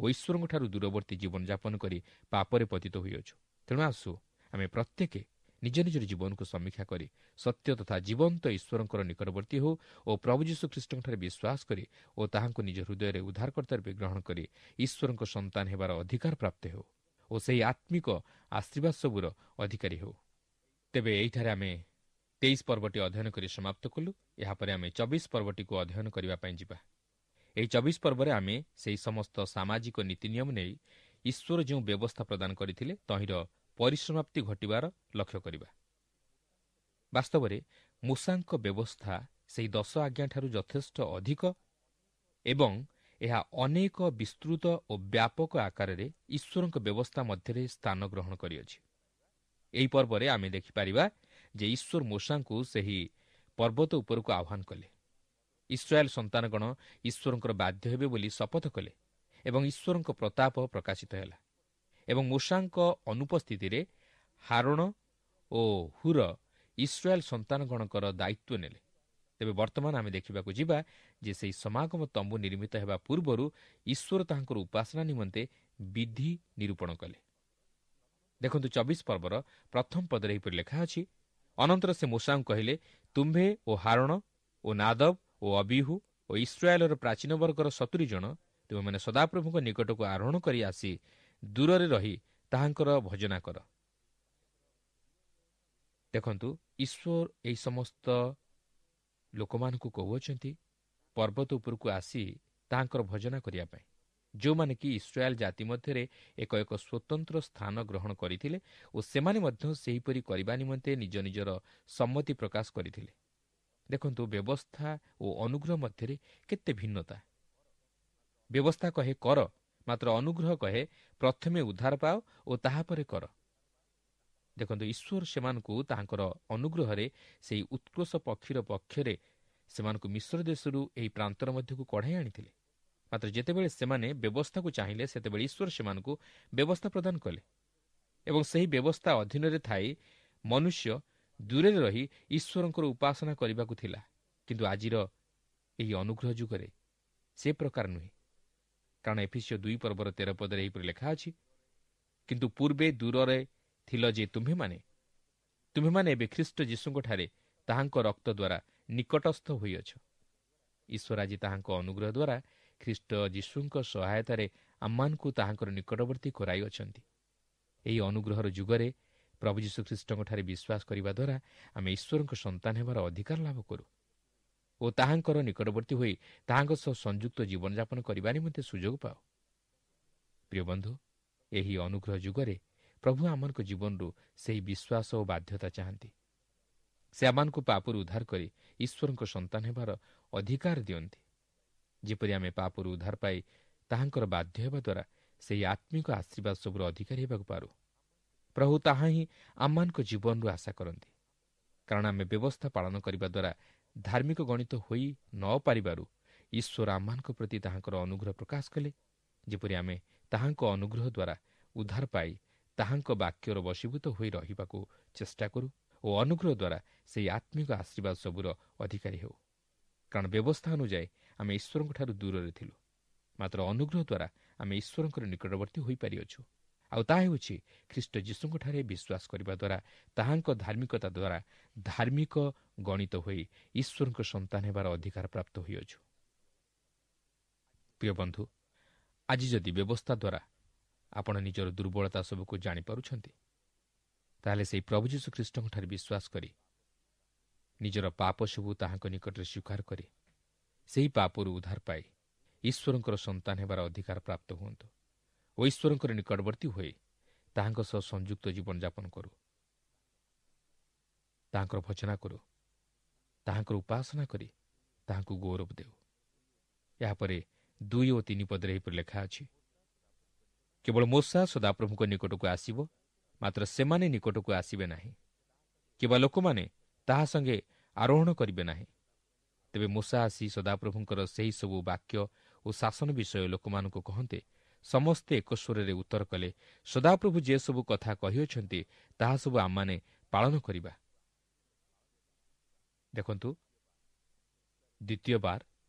A: ଓ ଈଶ୍ୱରଙ୍କଠାରୁ ଦୂରବର୍ତ୍ତୀ ଜୀବନଯାପନ କରି ପାପରେ ପତିତ ହୋଇଅଛୁ। ତେଣୁ ଆସୁ ଆମେ ପ୍ରତ୍ୟେକ ନିଜ ନିଜର ଜୀବନକୁ ସମୀକ୍ଷା କରି ସତ୍ୟ ତଥା ଜୀବନ୍ତ ଈଶ୍ୱରଙ୍କର ନିକଟବର୍ତ୍ତୀ ହେଉ ଓ ପ୍ରଭୁ ଯୀଶୁ ଖ୍ରୀଷ୍ଟଙ୍କଠାରେ ବିଶ୍ୱାସ କରି ଓ ତାହାଙ୍କୁ ନିଜ ହୃଦୟରେ ଉଦ୍ଧାରକର୍ତ୍ତା ରୂପେ ଗ୍ରହଣ କରି ଈଶ୍ୱରଙ୍କ ସନ୍ତାନ ହେବାର ଅଧିକାର ପ୍ରାପ୍ତ ହେଉ ଓ ସେହି ଆତ୍ମିକ ଆଶୀର୍ବାଦ ସବୁର ଅଧିକାରୀ ହେଉ। ତେବେ ଏହିଠାରେ ଆମେ ତେଇଶ ପର୍ବଟି ଅଧ୍ୟୟନ କରି ସମାପ୍ତ କଲୁ। ଏହାପରେ ଆମେ ଚବିଶ ପର୍ବଟିକୁ ଅଧ୍ୟୟନ କରିବା ପାଇଁ ଯିବା। ଏହି ଚବିଶ ପର୍ବରେ ଆମେ ସେହି ସମସ୍ତ ସାମାଜିକ ନୀତି ନିୟମ ନେଇ ଈଶ୍ୱର ଯେଉଁ ବ୍ୟବସ୍ଥା ପ୍ରଦାନ କରିଥିଲେ ତହିଁର ପରିସମାପ୍ତି ଘଟିବାର ଲକ୍ଷ୍ୟ କରିବା। ବାସ୍ତବରେ ମୂଷାଙ୍କ ବ୍ୟବସ୍ଥା ସେହି ଦଶ ଆଜ୍ଞାଠାରୁ ଯଥେଷ୍ଟ ଅଧିକ ଏବଂ ଏହା ଅନେକ ବିସ୍ତୃତ ଓ ବ୍ୟାପକ ଆକାରରେ ଈଶ୍ୱରଙ୍କ ବ୍ୟବସ୍ଥା ମଧ୍ୟରେ ସ୍ଥାନ ଗ୍ରହଣ କରିଅଛି। ଏହି ପର୍ବରେ ଆମେ ଦେଖିପାରିବା ଯେ ଈଶ୍ୱର ମୂଷାଙ୍କୁ ସେହି ପର୍ବତ ଉପରକୁ ଆହ୍ୱାନ କଲେ। ଇସ୍ରାଏଲ ସନ୍ତାନଗଣ ଈଶ୍ୱରଙ୍କର ବାଧ୍ୟ ହେବେ ବୋଲି ଶପଥ କଲେ ଏବଂ ଈଶ୍ୱରଙ୍କ ପ୍ରତାପ ପ୍ରକାଶିତ ହେଲା ଏବଂ ମୂଷାଙ୍କ ଅନୁପସ୍ଥିତିରେ ହାରୋଣ ଓ ହୁର ଇସ୍ରାଏଲ ସନ୍ତାନଗଣଙ୍କର ଦାୟିତ୍ୱ ନେଲେ। ତେବେ ବର୍ତ୍ତମାନ ଆମେ ଦେଖିବାକୁ ଯିବା ଯେ ସେହି ସମାଗମ ତମ୍ବୁ ନିର୍ମିତ ହେବା ପୂର୍ବରୁ ଈଶ୍ୱର ତାହାଙ୍କର ଉପାସନା ନିମନ୍ତେ ବିଧି ନିରୂପଣ କଲେ। ଦେଖନ୍ତୁ, ଚବିଶ ପର୍ବର ପ୍ରଥମ ପଦରେ ଏହିପରି ଲେଖା ଅଛି, ଅନନ୍ତର ସେ ମୂଷାଙ୍କୁ କହିଲେ, ତୁମ୍ଭେ ଓ ହାରୋଣ ଓ ନାଦବ ଓ ଅବିହୁ ଓ ଇସ୍ରାଏଲର ପ୍ରାଚୀନ ବର୍ଗର ସତୁରି ଜଣ ତୁମେମାନେ ସଦାପ୍ରଭୁଙ୍କ ନିକଟକୁ ଆରୋହଣ କରି ଆସି ଦୂରରେ ରହି ତାହାଙ୍କର ଭଜନା କର। ଦେଖନ୍ତୁ, ଈଶ୍ୱର ଏହି ସମସ୍ତ ଲୋକମାନଙ୍କୁ କହୁଅଛନ୍ତି ପର୍ବତ ଉପରକୁ ଆସି ତାହାଙ୍କର ଭଜନା କରିବା ପାଇଁ, ଯେଉଁମାନେ କି ଇସ୍ରାଏଲ ଜାତି ମଧ୍ୟରେ ଏକ ଏକ ସ୍ୱତନ୍ତ୍ର ସ୍ଥାନ ଗ୍ରହଣ କରିଥିଲେ ଓ ସେମାନେ ମଧ୍ୟ ସେହିପରି କରିବା ନିମନ୍ତେ ନିଜ ନିଜର ସମ୍ମତି ପ୍ରକାଶ କରିଥିଲେ। ଦେଖନ୍ତୁ, ବ୍ୟବସ୍ଥା ଓ ଅନୁଗ୍ରହ ମଧ୍ୟରେ କେତେ ଭିନ୍ନତା। ବ୍ୟବସ୍ଥା କହେ କର, ମାତ୍ର ଅନୁଗ୍ରହ କହେ ପ୍ରଥମେ ଉଦ୍ଧାର ପାଅ ଓ ତାହାପରେ କର। ଦେଖନ୍ତୁ, ଈଶ୍ୱର ସେମାନଙ୍କୁ ତାହାଙ୍କର ଅନୁଗ୍ରହରେ ସେହି ଉତ୍କୃଷ୍ଟ ପକ୍ଷୀର ପକ୍ଷରେ ସେମାନଙ୍କୁ ମିଶ୍ର ଦେଶରୁ ଏହି ପ୍ରାନ୍ତର ମଧ୍ୟକୁ କଢ଼ାଇ ଆଣିଥିଲେ। ମାତ୍ର ଯେତେବେଳେ ସେମାନେ ବ୍ୟବସ୍ଥାକୁ ଚାହିଁଲେ, ସେତେବେଳେ ଈଶ୍ୱର ସେମାନଙ୍କୁ ବ୍ୟବସ୍ଥା ପ୍ରଦାନ କଲେ ଏବଂ ସେହି ବ୍ୟବସ୍ଥା ଅଧୀନରେ ଥାଇ ମନୁଷ୍ୟ ଦୂରରେ ରହି ଈଶ୍ୱରଙ୍କର ଉପାସନା କରିବାକୁ ଥିଲା। କିନ୍ତୁ ଆଜିର ଏହି ଅନୁଗ୍ରହ ଯୁଗରେ ସେ ପ୍ରକାର ନୁହେଁ। କାରଣ ଏଫିସିଓ ଦୁଇ ପର୍ବର ତେର ପଦରେ ଏହିପରି ଲେଖା ଅଛି, କିନ୍ତୁ ପୂର୍ବେ ଦୂରରେ ଥିଲ ଯେ ତୁମ୍ଭେମାନେ, ତୁମ୍ଭେମାନେ ଏବେ ଖ୍ରୀଷ୍ଟ ଯୀଶୁଙ୍କଠାରେ ତାହାଙ୍କ ରକ୍ତ ଦ୍ୱାରା ନିକଟସ୍ଥ ହୋଇଅଛ। ଈଶ୍ୱର ଆଜି ତାହାଙ୍କ ଅନୁଗ୍ରହ ଦ୍ୱାରା ଖ୍ରୀଷ୍ଟ ଯୀଶୁଙ୍କ ସହାୟତାରେ ଆମମାନଙ୍କୁ ତାହାଙ୍କର ନିକଟବର୍ତ୍ତୀ କରାଇଅଛନ୍ତି। ଏହି ଅନୁଗ୍ରହର ଯୁଗରେ ପ୍ରଭୁ ଯୀଶୁ ଖ୍ରୀଷ୍ଟଙ୍କଠାରେ ବିଶ୍ୱାସ କରିବା ଦ୍ୱାରା ଆମେ ଈଶ୍ୱରଙ୍କ ସନ୍ତାନ ହେବାର ଅଧିକାର ଲାଭ କରୁ ଓ ତାହାଙ୍କର ନିକଟବର୍ତ୍ତୀ ହୋଇ ତାହାଙ୍କ ସହ ସଂଯୁକ୍ତ ଜୀବନଯାପନ କରିବା ନିମନ୍ତେ ସୁଯୋଗ ପାଉ। ପ୍ରିୟ ବନ୍ଧୁ, ଏହି ଅନୁଗ୍ରହ ଯୁଗରେ ପ୍ରଭୁ ଆମମାନଙ୍କ ଜୀବନରୁ ସେହି ବିଶ୍ୱାସ ଓ ବାଧ୍ୟତା ଚାହାନ୍ତି। ସେ ଆମମାନଙ୍କୁ ପାପରୁ ଉଦ୍ଧାର କରି ଈଶ୍ୱରଙ୍କ ସନ୍ତାନ ହେବାର ଅଧିକାର ଦିଅନ୍ତି, ଯେପରି ଆମେ ପାପରୁ ଉଦ୍ଧାର ପାଇ ତାହାଙ୍କର ବାଧ୍ୟ ହେବା ଦ୍ୱାରା ସେହି ଆତ୍ମିକ ଆଶୀର୍ବାଦ ସବୁର ଅଧିକାରୀ ହେବାକୁ ପାରୁ। ପ୍ରଭୁ ତାହା ହିଁ ଆମମାନଙ୍କ ଜୀବନରୁ ଆଶା କରନ୍ତି। କାରଣ ଆମେ ବ୍ୟବସ୍ଥା ପାଳନ କରିବା ଦ୍ୱାରା ଧାର୍ମିକ ଗଣିତ ହୋଇ ନ ପାରିବାରୁ ଈଶ୍ୱର ଆମମାନଙ୍କ ପ୍ରତି ତାହାଙ୍କର ଅନୁଗ୍ରହ ପ୍ରକାଶ କଲେ, ଯେପରି ଆମେ ତାହାଙ୍କ ଅନୁଗ୍ରହ ଦ୍ୱାରା ଉଦ୍ଧାର ପାଇ ତାହାଙ୍କ ବାକ୍ୟର ବଶୀଭୂତ ହୋଇ ରହିବାକୁ ଚେଷ୍ଟା କରୁ ଓ ଅନୁଗ୍ରହ ଦ୍ୱାରା ସେହି ଆତ୍ମିକ ଆଶୀର୍ବାଦ ସବୁର ଅଧିକାରୀ ହେଉ। କାରଣ ବ୍ୟବସ୍ଥା ଅନୁଯାୟୀ ଆମେ ଈଶ୍ୱରଙ୍କଠାରୁ ଦୂରରେ ଥିଲୁ, ମାତ୍ର ଅନୁଗ୍ରହ ଦ୍ୱାରା ଆମେ ଈଶ୍ୱରଙ୍କର ନିକଟବର୍ତ୍ତୀ ହୋଇପାରିଅଛୁ। ଆଉ ତାହା ହେଉଛି ଖ୍ରୀଷ୍ଟ ଯୀଶୁଙ୍କଠାରେ ବିଶ୍ୱାସ କରିବା ଦ୍ୱାରା ତାହାଙ୍କ ଧାର୍ମିକତା ଦ୍ୱାରା ଧାର୍ମିକ ଗଣିତ ହୋଇ ଈଶ୍ୱରଙ୍କ ସନ୍ତାନ ହେବାର ଅଧିକାର ପ୍ରାପ୍ତ ହୋଇଅଛୁ। ପ୍ରିୟ ବନ୍ଧୁ, ଆଜି ଯଦି ବ୍ୟବସ୍ଥା ଦ୍ୱାରା ଆପଣ ନିଜର ଦୁର୍ବଳତା ସବୁକୁ ଜାଣିପାରୁଛନ୍ତି, ତାହେଲେ ସେହି ପ୍ରଭୁ ଯୀଶୁ ଖ୍ରୀଷ୍ଟଙ୍କଠାରେ ବିଶ୍ୱାସ କରି ନିଜର ପାପ ସବୁ ତାହାଙ୍କ ନିକଟରେ ସ୍ୱୀକାର କରି ସେହି ପାପରୁ ଉଦ୍ଧାର ପାଇ ଈଶ୍ୱରଙ୍କର ସନ୍ତାନ ହେବାର ଅଧିକାର ପ୍ରାପ୍ତ ହୁଅନ୍ତୁ ଓ ଈଶ୍ୱରଙ୍କର ନିକଟବର୍ତ୍ତୀ ହୋଇ ତାହାଙ୍କ ସହ ସଂଯୁକ୍ତ ଜୀବନଯାପନ କରୁ, ତାହାଙ୍କର ଭଜନା କରୁ, ତାହାଙ୍କର ଉପାସନା କରି ତାହାଙ୍କୁ ଗୌରବ ଦେଉ। ଏହାପରେ ଦୁଇ ଓ ତିନି ପଦରେ ଏହିପରି ଲେଖା ଅଛି, କେବଳ ମୋଶା ସଦାପ୍ରଭୁଙ୍କ ନିକଟକୁ ଆସିବ, ମାତ୍ର ସେମାନେ ନିକଟକୁ ଆସିବେ ନାହିଁ, କିମ୍ବା ଲୋକମାନେ ତାହା ସଙ୍ଗେ ଆରୋହଣ କରିବେ ନାହିଁ। ତେବେ ମୋଶା ଆସି ସଦାପ୍ରଭୁଙ୍କର ସେହି ସବୁ ବାକ୍ୟ ଓ ଶାସନ ବିଷୟ ଲୋକମାନଙ୍କୁ କହନ୍ତେ, ସମସ୍ତେ ଏକ ସ୍ୱରରେ ଉତ୍ତର କଲେ, ସଦାପ୍ରଭୁ ଯେ ସବୁ କଥା କହିଅଛନ୍ତି ତାହା ସବୁ ଆମମାନେ ପାଳନ କରିବା। ଦେଖନ୍ତୁ, ଦ୍ୱିତୀୟ ବାର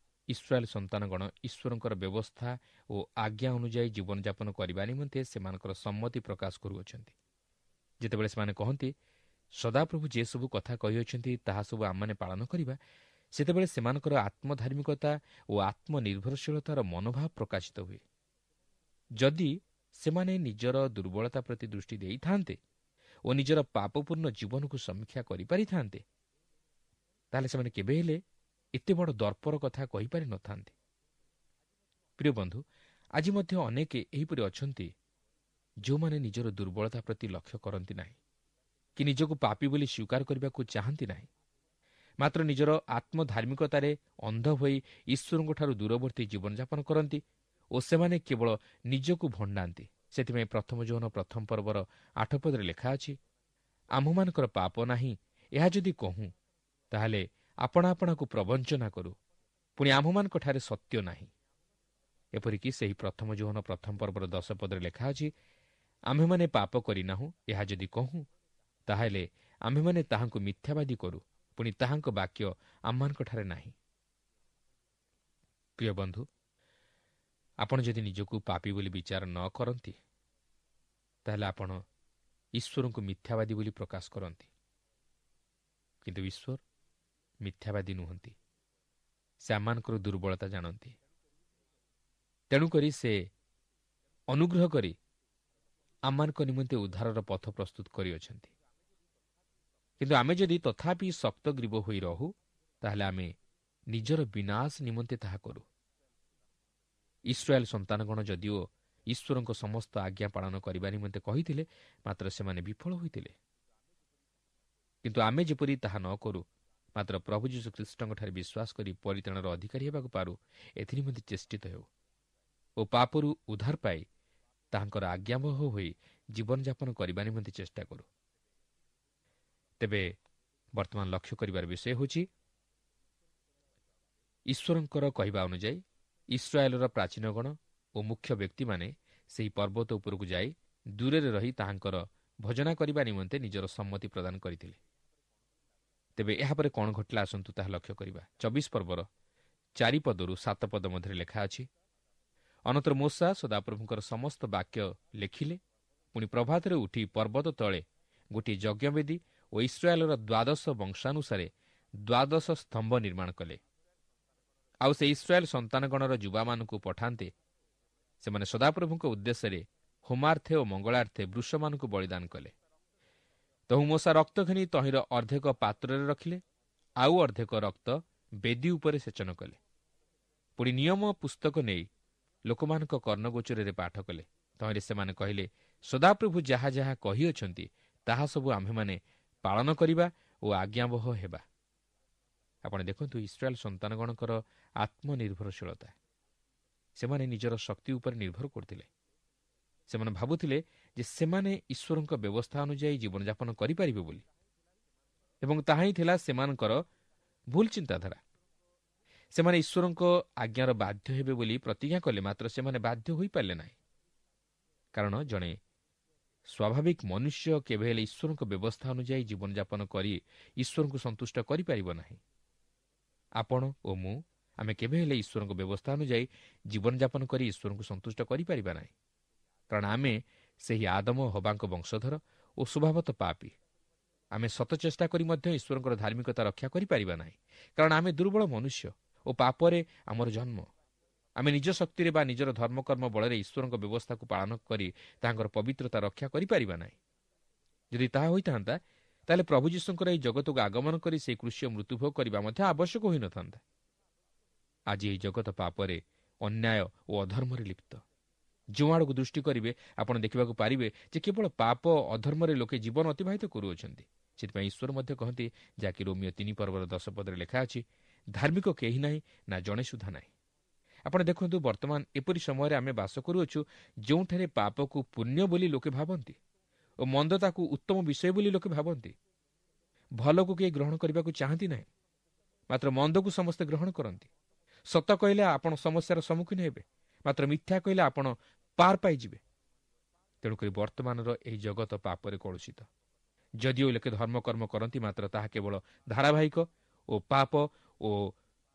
A: ଇସ୍ରାଏଲ ସନ୍ତାନଗଣ ଈଶ୍ୱରଙ୍କର ବ୍ୟବସ୍ଥା ଓ ଆଜ୍ଞା ଅନୁଯାୟୀ ଜୀବନଯାପନ କରିବା ନିମନ୍ତେ ସେମାନଙ୍କର ସମ୍ମତି ପ୍ରକାଶ କରୁଅଛନ୍ତି। ଯେତେବେଳେ ସେମାନେ କହନ୍ତି ସଦାପ୍ରଭୁ ଯେ ସବୁ କଥା କହିଅଛନ୍ତି ତାହା ସବୁ ଆମମାନେ ପାଳନ କରିବା, ସେତେବେଳେ ସେମାନଙ୍କର ଆତ୍ମଧାର୍ମିକତା ଓ ଆତ୍ମନିର୍ଭରଶୀଳତାର ମନୋଭାବ ପ୍ରକାଶିତ ହୁଏ। ଯଦି ସେମାନେ ନିଜର ଦୁର୍ବଳତା ପ୍ରତି ଦୃଷ୍ଟି ଦେଇଥାନ୍ତେ ଓ ନିଜର ପାପପୂର୍ଣ୍ଣ ଜୀବନକୁ ସମୀକ୍ଷା କରିପାରିଥାନ୍ତେ, ତାହେଲେ ସେମାନେ କେବେ ହେଲେ ଏତେ ବଡ଼ ଦର୍ପର କଥା କହିପାରିନଥାନ୍ତେ। ପ୍ରିୟ ବନ୍ଧୁ, ଆଜି ମଧ୍ୟ ଅନେକ ଏହିପରି ଅଛନ୍ତି ଯେଉଁମାନେ ନିଜର ଦୁର୍ବଳତା ପ୍ରତି ଲକ୍ଷ୍ୟ କରନ୍ତି ନାହିଁ କି ନିଜକୁ ପାପୀ ବୋଲି ସ୍ୱୀକାର କରିବାକୁ ଚାହାନ୍ତି ନାହିଁ, ମାତ୍ର ନିଜର ଆତ୍ମଧାର୍ମିକତାରେ ଅନ୍ଧ ହୋଇ ଈଶ୍ୱରଙ୍କଠାରୁ ଦୂରବର୍ତ୍ତୀ ଜୀବନଯାପନ କରନ୍ତି ଓ ସେମାନେ କେବଳ ନିଜକୁ ଭଣ୍ଡାନ୍ତି। ସେଥିପାଇଁ ପ୍ରଥମ ଯୋହନ ପ୍ରଥମ ପର୍ବର ଆଠ ପଦରେ ଲେଖା ଅଛି, ଆମ୍ଭମାନଙ୍କର ପାପ ନାହିଁ ଏହା ଯଦି କହୁଁ, ତାହେଲେ ଆପଣା ଆପଣାକୁ ପ୍ରବଞ୍ଚନା କରୁ, ପୁଣି ଆମ୍ଭମାନଙ୍କଠାରେ ସତ୍ୟ ନାହିଁ। ଏପରିକି ସେହି ପ୍ରଥମ ଯୋହନ ପ୍ରଥମ ପର୍ବର ଦଶ ପଦରେ ଲେଖା ଅଛି, ଆମ୍ଭେମାନେ ପାପ କରିନାହୁଁ ଏହା ଯଦି କହୁଁ, ତାହେଲେ ଆମ୍ଭେମାନେ ତାହାଙ୍କୁ ମିଥ୍ୟାବାଦୀ କରୁ, ପୁଣି ତାହାଙ୍କ ବାକ୍ୟ ଆମ୍ଭମାନଙ୍କଠାରେ ନାହିଁ। ପ୍ରିୟ ବନ୍ଧୁ, ଆପଣ ଯଦି ନିଜକୁ ପାପୀ ବୋଲି ବିଚାର ନ କରନ୍ତି, ତାହେଲେ ଆପଣ ଈଶ୍ୱରଙ୍କୁ ମିଥ୍ୟାବାଦୀ ବୋଲି ପ୍ରକାଶ କରନ୍ତି। କିନ୍ତୁ ଈଶ୍ୱର ମିଥ୍ୟାବାଦୀ ନୁହନ୍ତି, ସେ ଆମମାନଙ୍କର ଦୁର୍ବଳତା ଜାଣନ୍ତି। ତେଣୁକରି ସେ ଅନୁଗ୍ରହ କରି ଆମମାନଙ୍କ ନିମନ୍ତେ ଉଦ୍ଧାରର ପଥ ପ୍ରସ୍ତୁତ କରିଅଛନ୍ତି। କିନ୍ତୁ ଆମେ ଯଦି ତଥାପି ଶକ୍ତଗ୍ରୀବ ହୋଇ ରହୁ, ତାହେଲେ ଆମେ ନିଜର ବିନାଶ ନିମନ୍ତେ ତାହା କରୁ। ଇସ୍ରାଏଲ ସନ୍ତାନଗଣ ଯଦିଓ ଈଶ୍ୱରଙ୍କ ସମସ୍ତ ଆଜ୍ଞା ପାଳନ କରିବା ନିମନ୍ତେ କହିଥିଲେ, ମାତ୍ର ସେମାନେ ବିଫଳ ହୋଇଥିଲେ। କିନ୍ତୁ ଆମେ ଯେପରି ତାହା ନ କରୁ, ମାତ୍ର ପ୍ରଭୁ ଯୀଶୁ ଖ୍ରୀଷ୍ଟଙ୍କଠାରେ ବିଶ୍ୱାସ କରି ପରିତ୍ରାଣର ଅଧିକାରୀ ହେବାକୁ ପାରୁ, ଏଥିନିମନ୍ତେ ଚେଷ୍ଟିତ ହେଉ ଓ ପାପରୁ ଉଦ୍ଧାର ପାଇ ତାହାଙ୍କର ଆଜ୍ଞାବହ ହୋଇ ଜୀବନଯାପନ କରିବା ନିମନ୍ତେ ଚେଷ୍ଟା କରୁ। ତେବେ ବର୍ତ୍ତମାନ ଲକ୍ଷ୍ୟ କରିବାର ବିଷୟ ହେଉଛି, ଈଶ୍ୱରଙ୍କର କହିବା ଅନୁଯାୟୀ ଇସ୍ରାଏଲର ପ୍ରାଚୀନଗଣ ଓ ମୁଖ୍ୟ ବ୍ୟକ୍ତିମାନେ ସେହି ପର୍ବତ ଉପରକୁ ଯାଇ ଦୂରରେ ରହି ତାହାଙ୍କର ଭଜନା କରିବା ନିମନ୍ତେ ନିଜର ସମ୍ମତି ପ୍ରଦାନ କରିଥିଲେ। ତେବେ ଏହାପରେ କ'ଣ ଘଟିଲା ଆସନ୍ତୁ ତାହା ଲକ୍ଷ୍ୟ କରିବା। ଚବିଶ ପର୍ବର ଚାରି ପଦରୁ ସାତ ପଦ ମଧ୍ୟରେ ଲେଖା ଅଛି, ଅନନ୍ତର ମୋଶା ସଦାପ୍ରଭୁଙ୍କର ସମସ୍ତ ବାକ୍ୟ ଲେଖିଲେ, ପୁଣି ପ୍ରଭାତରେ ଉଠି ପର୍ବତ ତଳେ ଗୋଟିଏ ଯଜ୍ଞବେଦୀ ଓ ଇସ୍ରାଏଲର ଦ୍ୱାଦଶ ବଂଶାନୁସାରେ ଦ୍ୱାଦଶ ସ୍ତମ୍ଭ ନିର୍ମାଣ କଲେ। ଆଉ ସେ ଇସ୍ରାଏଲ ସନ୍ତାନଗଣର ଯୁବାମାନଙ୍କୁ ପଠାନ୍ତେ, ସେମାନେ ସଦାପ୍ରଭୁଙ୍କ ଉଦ୍ଦେଶ୍ୟରେ ହୋମାର୍ଥେ ଓ ମଙ୍ଗଳାର୍ଥେ ବୃଷମାନଙ୍କୁ ବଳିଦାନ କଲେ। ତହୁଁ ମୋଶା ରକ୍ତ ଘେନି ତହିଁର ଅର୍ଦ୍ଧେକ ପାତ୍ରରେ ରଖିଲେ, ଆଉ ଅର୍ଦ୍ଧେକ ରକ୍ତ ବେଦୀ ଉପରେ ସେଚନ କଲେ। ପୁଣି ନିୟମ ପୁସ୍ତକ ନେଇ ଲୋକମାନଙ୍କ କର୍ଣ୍ଣଗୋଚରରେ ପାଠ କଲେ। ତହିଁରେ ସେମାନେ କହିଲେ, ସଦାପ୍ରଭୁ ଯାହା ଯାହା କହିଅଛନ୍ତି ତାହା ସବୁ ଆମ୍ଭେମାନେ ପାଳନ କରିବା ଓ ଆଜ୍ଞାବହ ହେବା। ଆପଣ ଦେଖନ୍ତୁ ଇସ୍ରାଏଲ ସନ୍ତାନଗଣଙ୍କର ଆତ୍ମନିର୍ଭରଶୀଳତା। ସେମାନେ ନିଜର ଶକ୍ତି ଉପରେ ନିର୍ଭର କରୁଥିଲେ। ସେମାନେ ଭାବୁଥିଲେ ଯେ ସେମାନେ ଈଶ୍ୱରଙ୍କ ବ୍ୟବସ୍ଥା ଅନୁଯାୟୀ ଜୀବନଯାପନ କରିପାରିବେ ବୋଲି, ଏବଂ ତାହା ହିଁ ଥିଲା ସେମାନଙ୍କର ଭୁଲ ଚିନ୍ତାଧାରା। ସେମାନେ ଈଶ୍ୱରଙ୍କ ଆଜ୍ଞାର ବାଧ୍ୟ ହେବେ ବୋଲି ପ୍ରତିଜ୍ଞା କଲେ, ମାତ୍ର ସେମାନେ ବାଧ୍ୟ ହୋଇପାରିଲେ ନାହିଁ। କାରଣ ଜଣେ ସ୍ୱାଭାବିକ ମନୁଷ୍ୟ କେବେ ହେଲେ ଈଶ୍ୱରଙ୍କ ବ୍ୟବସ୍ଥା ଅନୁଯାୟୀ ଜୀବନଯାପନ କରି ଈଶ୍ୱରଙ୍କୁ ସନ୍ତୁଷ୍ଟ କରିପାରିବ ନାହିଁ। ଆପଣ ଓ ମୁଁ ଆମେ କେବେ ହେଲେ ଈଶ୍ୱରଙ୍କ ବ୍ୟବସ୍ଥା ଅନୁଯାୟୀ ଜୀବନଯାପନ କରି ଈଶ୍ୱରଙ୍କୁ ସନ୍ତୁଷ୍ଟ କରିପାରିବା ନାହିଁ, କାରଣ ଆମେ ସେହି ଆଦମ ହବାଙ୍କ ବଂଶଧର ଓ ସ୍ୱଭାବତ ପାପୀ। ଆମେ ସତ ଚେଷ୍ଟା କରି ମଧ୍ୟ ଈଶ୍ୱରଙ୍କର ଧାର୍ମିକତା ରକ୍ଷା କରିପାରିବା ନାହିଁ, କାରଣ ଆମେ ଦୁର୍ବଳ ମନୁଷ୍ୟ ଓ ପାପରେ ଆମର ଜନ୍ମ। ଆମେ ନିଜ ଶକ୍ତିରେ ବା ନିଜର ଧର୍ମକର୍ମ ବଳରେ ଈଶ୍ୱରଙ୍କ ବ୍ୟବସ୍ଥାକୁ ପାଳନ କରି ତାଙ୍କର ପବିତ୍ରତା ରକ୍ଷା କରିପାରିବା ନାହିଁ। ଯଦି ତାହା ହୋଇଥାନ୍ତା, ତାହେଲେ ପ୍ରଭୁ ଯୀଶୁଙ୍କର ଏହି ଜଗତକୁ ଆଗମନ କରି ସେହି କୃଷିୟ ମୃତ୍ୟୁଭୋଗ କରିବା ମଧ୍ୟ ଆବଶ୍ୟକ ହୋଇନଥାନ୍ତା। ଆଜି ଏହି ଜଗତ ପାପରେ, ଅନ୍ୟାୟ ଓ ଅଧର୍ମରେ ଲିପ୍ତ। ଯେଉଁ ଆଡ଼କୁ ଦୃଷ୍ଟି କରିବେ, ଆପଣ ଦେଖିବାକୁ ପାରିବେ ଯେ କେବଳ ପାପ ଅଧର୍ମରେ ଲୋକେ ଜୀବନ ଅତିବାହିତ କରୁଅଛନ୍ତି। ସେଥିପାଇଁ ଈଶ୍ୱର ମଧ୍ୟ କହନ୍ତି, ଯାହାକି ରୋମିଓ ତିନି ପର୍ବର ଦଶ ପଦରେ ଲେଖା ଅଛି, ଧାର୍ମିକ କେହି ନାହିଁ, ନା ଜଣେ ସୁଦ୍ଧା ନାହିଁ। ଆପଣ ଦେଖନ୍ତୁ, ବର୍ତ୍ତମାନ ଏପରି ସମୟରେ ଆମେ ବାସ କରୁଅଛୁ ଯେଉଁଠାରେ ପାପକୁ ପୁଣ୍ୟ ବୋଲି ଲୋକେ ଭାବନ୍ତି ଓ ମନ୍ଦତାକୁ ଉତ୍ତମ ବିଷୟ ବୋଲି ଲୋକେ ଭାବନ୍ତି। ଭଲକୁ କେହି ଗ୍ରହଣ କରିବାକୁ ଚାହାନ୍ତି ନାହିଁ, ମାତ୍ର ମନ୍ଦକୁ ସମସ୍ତେ ଗ୍ରହଣ କରନ୍ତି। ସତ କହିଲେ ଆପଣ ସମସ୍ୟାର ସମ୍ମୁଖୀନ ହେବେ, ମାତ୍ର ମିଥ୍ୟା କହିଲେ ଆପଣ ପାର ପାଇଯିବେ। ତେଣୁକରି ବର୍ତ୍ତମାନର ଏହି ଜଗତ ପାପରେ କଳୁଷିତ। ଯଦିଓ ଲୋକେ ଧର୍ମକର୍ମ କରନ୍ତି, ମାତ୍ର ତାହା କେବଳ ଧାରାବାହିକ ଓ ପାପ ଓ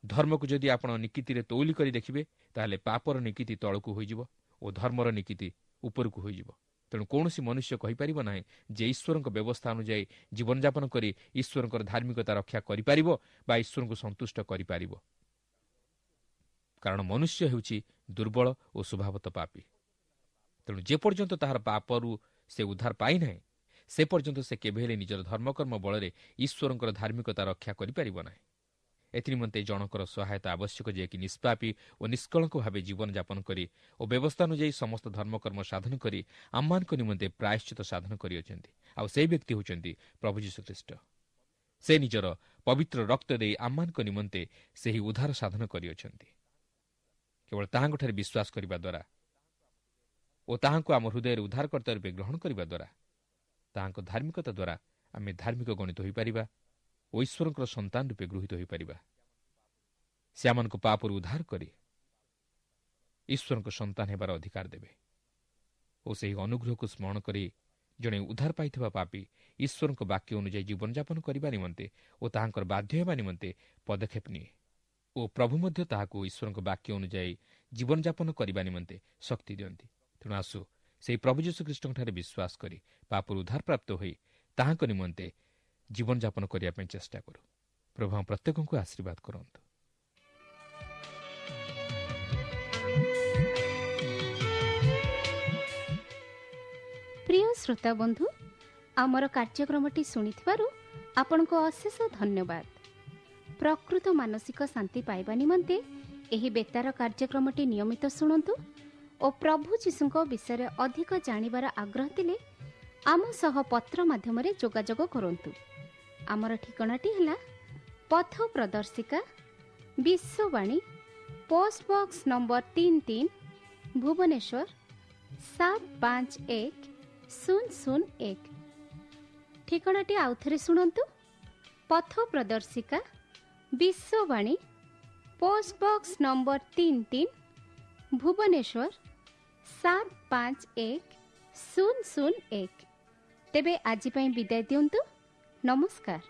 A: ଧର୍ମକୁ ଯଦି ଆପଣ ନିକିତିରେ ତୌଲି କରି ଦେଖିବେ, ତାହେଲେ ପାପର ନିକିତି ତଳକୁ ହୋଇଯିବ ଓ ଧର୍ମର ନିକିତି ଉପରକୁ ହୋଇଯିବ। ତେଣୁ କୌଣସି ମନୁଷ୍ୟ କହିପାରିବ ନାହିଁ ଯେ ଈଶ୍ୱରଙ୍କ ବ୍ୟବସ୍ଥା ଅନୁଯାୟୀ ଜୀବନଯାପନ କରି ଈଶ୍ୱରଙ୍କର ଧାର୍ମିକତା ରକ୍ଷା କରିପାରିବ ବା ଈଶ୍ୱରଙ୍କୁ ସନ୍ତୁଷ୍ଟ କରିପାରିବ, କାରଣ ମନୁଷ୍ୟ ହେଉଛି ଦୁର୍ବଳ ଓ ସ୍ୱଭାବତ ପାପୀ। ତେଣୁ ଯେପର୍ଯ୍ୟନ୍ତ ତାହାର ପାପରୁ ସେ ଉଦ୍ଧାର ପାଇନାହିଁ, ସେ ପର୍ଯ୍ୟନ୍ତ ସେ କେବେ ହେଲେ ନିଜର ଧର୍ମକର୍ମ ବଳରେ ଈଶ୍ୱରଙ୍କର ଧାର୍ମିକତା ରକ୍ଷା କରିପାରିବ ନାହିଁ। ଏଥିନିମନ୍ତେ ଜଣଙ୍କର ସହାୟତା ଆବଶ୍ୟକ, ଯିଏକି ନିଷ୍ପାପୀ ଓ ନିଷ୍କଳଙ୍କ ଭାବେ ଜୀବନଯାପନ କରି ଓ ବ୍ୟବସ୍ଥା ଅନୁଯାୟୀ ସମସ୍ତ ଧର୍ମକର୍ମ ସାଧନ କରି ଆମମାନଙ୍କ ନିମନ୍ତେ ପ୍ରାୟଶ୍ଚିତ ସାଧନ କରିଅଛନ୍ତି। ଆଉ ସେହି ବ୍ୟକ୍ତି ହେଉଛନ୍ତି ପ୍ରଭୁ ଯୀଶୁଖ୍ରୀଷ୍ଟ। ସେ ନିଜର ପବିତ୍ର ରକ୍ତ ଦେଇ ଆମମାନଙ୍କ ନିମନ୍ତେ ସେହି ଉଦ୍ଧାର ସାଧନ କରିଅଛନ୍ତି। କେବଳ ତାହାଙ୍କଠାରେ ବିଶ୍ୱାସ କରିବା ଦ୍ୱାରା ଓ ତାହାଙ୍କୁ ଆମ ହୃଦୟରେ ଉଦ୍ଧାରକର୍ତ୍ତା ରୂପେ ଗ୍ରହଣ କରିବା ଦ୍ୱାରା, ତାହାଙ୍କ ଧାର୍ମିକତା ଦ୍ୱାରା ଆମେ ଧାର୍ମିକ ଗଣିତ ହୋଇପାରିବା ଓ ଈଶ୍ୱରଙ୍କର ସନ୍ତାନ ରୂପେ ଗୃହୀତ ହୋଇପାରିବା। ସେ ଆମମାନଙ୍କୁ ପାପରୁ ଉଦ୍ଧାର କରି ଈଶ୍ୱରଙ୍କ ସନ୍ତାନ ହେବାର ଅଧିକାର ଦେବେ ଓ ସେହି ଅନୁଗ୍ରହକୁ ସ୍ମରଣ କରି ଜଣେ ଉଦ୍ଧାର ପାଇଥିବା ପାପୀ ଈଶ୍ୱରଙ୍କ ବାକ୍ୟ ଅନୁଯାୟୀ ଜୀବନଯାପନ କରିବା ନିମନ୍ତେ ଓ ତାହାଙ୍କର ବାଧ୍ୟ ହେବା ନିମନ୍ତେ ପଦକ୍ଷେପ ନିଏ ଓ ପ୍ରଭୁ ମଧ୍ୟ ତାହାକୁ ଈଶ୍ୱରଙ୍କ ବାକ୍ୟ ଅନୁଯାୟୀ ଜୀବନଯାପନ କରିବା ନିମନ୍ତେ ଶକ୍ତି ଦିଅନ୍ତି। ତେଣୁ ଆସୁ ସେହି ପ୍ରଭୁ ଯୀଶୁଖ୍ରୀଷ୍ଟଙ୍କଠାରେ ବିଶ୍ୱାସ କରି ପାପରୁ ଉଦ୍ଧାରପ୍ରାପ୍ତ ହୋଇ ତାହାଙ୍କ ନିମନ୍ତେ ଜୀବନଯାପନ କରିବା ପାଇଁ ଚେଷ୍ଟା କରୁ। ପ୍ରଭୁ ଆମ ପ୍ରତ୍ୟେକଙ୍କୁ ଆଶୀର୍ବାଦ କରନ୍ତୁ।
C: ପ୍ରିୟ ଶ୍ରୋତା ବନ୍ଧୁ, ଆମର କାର୍ଯ୍ୟକ୍ରମଟି ଶୁଣିଥିବାରୁ ଆପଣଙ୍କୁ ଅଶେଷ ଧନ୍ୟବାଦ। ପ୍ରକୃତ ମାନସିକ ଶାନ୍ତି ପାଇବା ନିମନ୍ତେ ଏହି ବେତାର କାର୍ଯ୍ୟକ୍ରମଟି ନିୟମିତ ଶୁଣନ୍ତୁ ଓ ପ୍ରଭୁ ଯୀଶୁଙ୍କ ବିଷୟରେ ଅଧିକ ଜାଣିବାର ଆଗ୍ରହ ଥିଲେ ଆମ ସହ ପତ୍ର ମାଧ୍ୟମରେ ଯୋଗାଯୋଗ କରନ୍ତୁ। ଆମର ଠିକଣାଟି ହେଲା ପଥ ପ୍ରଦର୍ଶିକା, ବିଶ୍ୱବାଣୀ, ପୋଷ୍ଟ ବକ୍ସ ନମ୍ବର ତିନି ତିନି, ଭୁବନେଶ୍ୱର ସାତ ପାଞ୍ଚ ଏକ ଶୂନ ଶୂନ ଏକ। ଠିକଣାଟି ଆଉଥରେ ଶୁଣନ୍ତୁ, ପଥ ପ୍ରଦର୍ଶିକା, ବିଶ୍ୱବାଣୀ, ପୋଷ୍ଟ ବକ୍ସ ନମ୍ବର ତିନି ତିନି, ଭୁବନେଶ୍ୱର ସାତ ପାଞ୍ଚ ଏକ ଶୂନ ଶୂନ ଏକ। ତେବେ ଆଜି ପାଇଁ ବିଦାୟ ଦିଅନ୍ତୁ। ନମସ୍କାର।